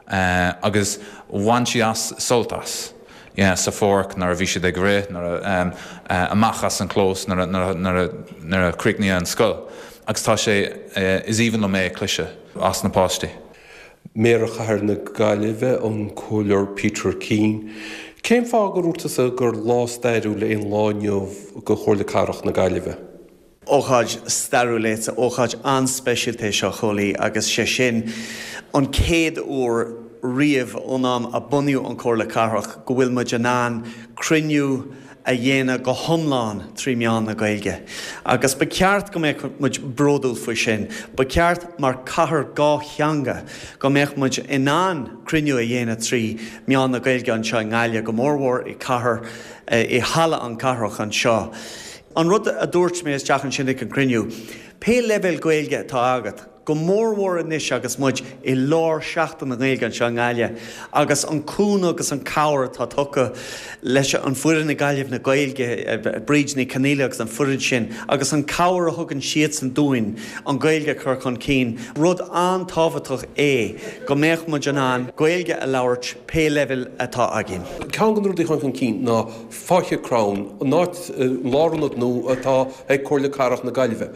uh, agus bhain sí as sult as. Yeah, sa pháirc nuair a bhí siad ag rith nuair um, uh, amach as an clós nuair a chríochnaigh an scoil. Agus tá sé uh, is aoibhinn liom é cloisteáil as na páistí. Méara Chathair na Gaillimhe an Comhairleoir Peter Keane. Cén fáth gur dúirt tusa gur lá stairiúil é an lá inniu do Chomhairle Cathrach na Gaillimhe? Ócáid stairiúil é ócáid an-speisialta é seo Chóilí agus sé sin an chéad uair riamh ón am a bunaíodh an Chomhairle Cathrach go bhfuil muid in ann cruinniú a dhéanamh go hiomlán trí mheán na Gaeilge. Agus ba cheart go mbeadh muid bródúil faoi sin, ba cheart mar cathair dhátheangach go mbeadh muid in ann cruinniú a dhéanamh trí mheán na Gaeilge anseo i nGaillimh go mórmhór i cathair i halla an cathrach anseo. An rud a dúirt mé isteach ansin ag an cruinniú, pé leibhéal Gaeilge atá agat, go mórmhór anois agus muid i lár Seachtain na Gaeilge anseo i nGaillimh, agus an cúnamh agus an cabhair atá tugtha leis an foireann i Gaillimh na Gaeilge, Bríd Ní Chonaola agus an foireann sin, agus an cabhair a thugann siadsan dúinn an Ghaeilge a chur chun cinn, rud an-tábhachtach é go mbeadh muid in ann Gaeilge a labhairt pé leibhéal atá againn. Ceann de na rudaí a tháinig chun cinn ná Faiche Crann, an áit lárionad nua atá ag Comhairle Cathrach na Gaillimhe.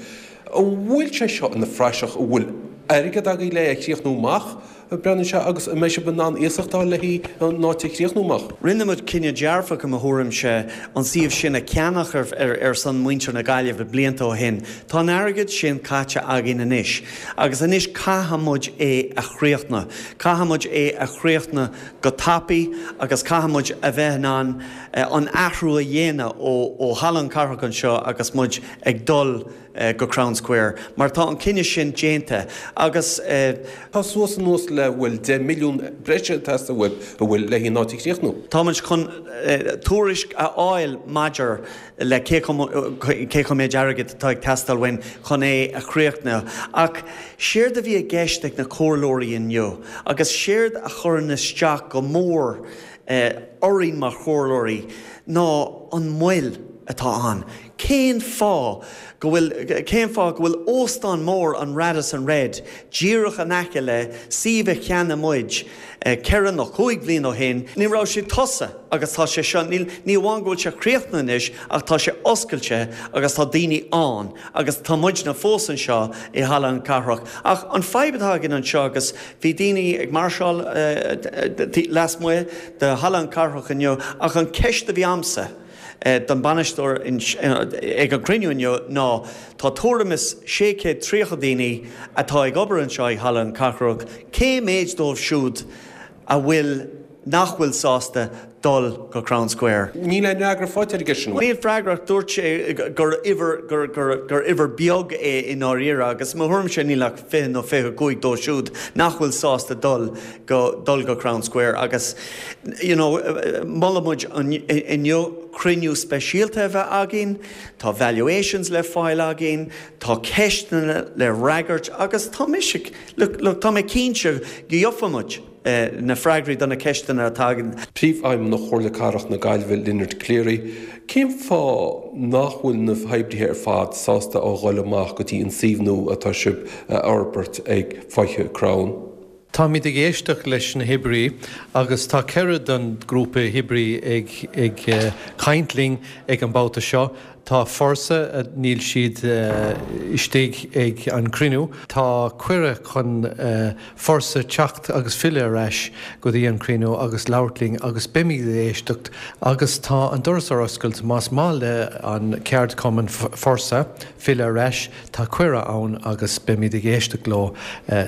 An bhfuil sé seo ina phraiseach an bhfuil airgead agaibh le é a chríochnú amach, breathnaíonn sé, agus an mbeidh sibh in ann iasacht a fháil le an áit a chríochnú amach? Rinne muid cinneadh dearfach i mo thuairimse an suíomh sin a cheannach ar, ar, ar son muintir na Gaillimhe blianta ó shin. Tá an airgead sin caite againn anois agus anois caithfidh muid é a chríochnú. Caithfidh muid é a chríochnú go tapaidh agus caithfidh muid a bheith in ann an athrú a dhéanamh ó, ó Halla an Cathrach anseo agus muid ag dul go Crown Square, mar tá an cinneadh sin déanta agus. Tá suas anuas le bhfuil deich milliún breise ag teastáil uaibh an bhfuil le an áit a chríochnú. Tá muid chun tuairisc a fháil maidir le cé cé chomh méid airgid atá ag teastáil uainn chun é a chríochnú. Ach séard a bhí i gceist ag na comhairleoirí inniu agus séard a chuireann isteach go mór orainn mar chomhairleoirí ná an mhoill atá ann. Cén fáth go bhfuil, cén fáth go bhfuil óstán mór an Radisson Red díreach in aice le suíomh a cheannaigh muid ceithre nó cúig bhliain ó shin? Ní raibh sé tosaithe agus tá sé seo, níl, ní amháin go bhfuil sé críochnaithe anois ach tá sé oscailte agus tá daoine ann agus tá muidne fós anseo i Halla an Cathrach. Ach an fadhb atá againn anseo agus bhí daoine ag máirseáil lasmuigh de Halla an Cathrach inniu ach an ceist a bhí a'msa, don bhainisteoir ag an gcruinniú inniu ná tá tuairim is sé chéad tríocha daoine atá ag obair anseo i Halla an Cathrach, cé méid dóibh siúd a bhfuil, nach bhfuil sásta dul go Crown Square? Níl aon fhreagra faighte aige sin. Níl freagra, dúirt sé gur uimhir, gur, gur, gur uimhir beag é i ndáiríre agus i mo thuairimse níl ach fiche nó fiche cúig dóibh siúd nach bhfuil sásta dul go, dul go Crown Square agus you know, mhol muid inniu cruinniú speisialta a bheith againn, tá valuations le fáil againn, tá ceisteanna le fhreagairt agus tá mise, look, look, tá mé cinnte go gheobhaidh muid. na freagraí do na ceisteanna atá againn. Príomhfheidhmeannach Chomhairle Cathrach na Gaillimhe Lynard Cleary, Cén fáth nach bhfuil na hoibrithe ar fad sásta a dhul amach go dtí an suíomh nua atá sibh a fhorbairt ag Faiche Crann? Táimid ag éisteacht leis na hoibrí agus tá ceithre den grúpa oibrí ag ag caint linn ag an babhta seo. Tá Forsa, níl siad istigh ag an cruinniú. Tá cuireadh chun Forsa teacht agus filleadh ar ais go dtí an cruinniú agus labhairt linn agus beimid ag éisteacht agus tá an doras ar oscailt más maith le an ceardchumann Forsa filleadh ar ais, tá cuireadh ann agus beimid ag éisteacht leo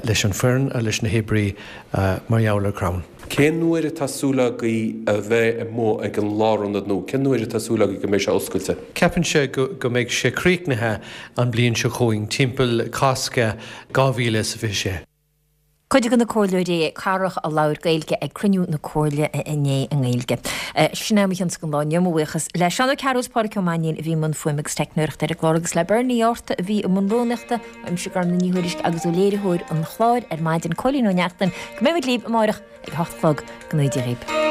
leis an foireann, leis na hoibrí mar gheall ar Crann. Cén uair atá súil agaibh a bheith amuigh ag an lárionad nua? Cén uair atá súil agaibh go mbeidh sé oscailte? Ceapaimse go mbeidh sé críochnaithe an bliain seo chugainn, timpeall Cásca dhá mhíle is a fiche sé. Cuid de na comhairleoirí cathrach a labhair Gaeilge ag cruinniú na Comhairle inné i nGaeilge. Sin é mo chionn don lá inniu, mo bhuíochas le Seán Ó Cearúil is Pádraic Ó Mainnín a bhí i mbun fuaime agus teicneoireachta ar an gclár agus le Bernie Arta a bhí i mbun rúnaíochta, uaimse Gormfhlaith Ní Thuairisg agus ó léiritheoir an chláir ar maidin, Cóilín Ó Neachtain, go mbeimid libh amárach ag a hocht a chlog. Go ngnóthaí Dia dhaoibh.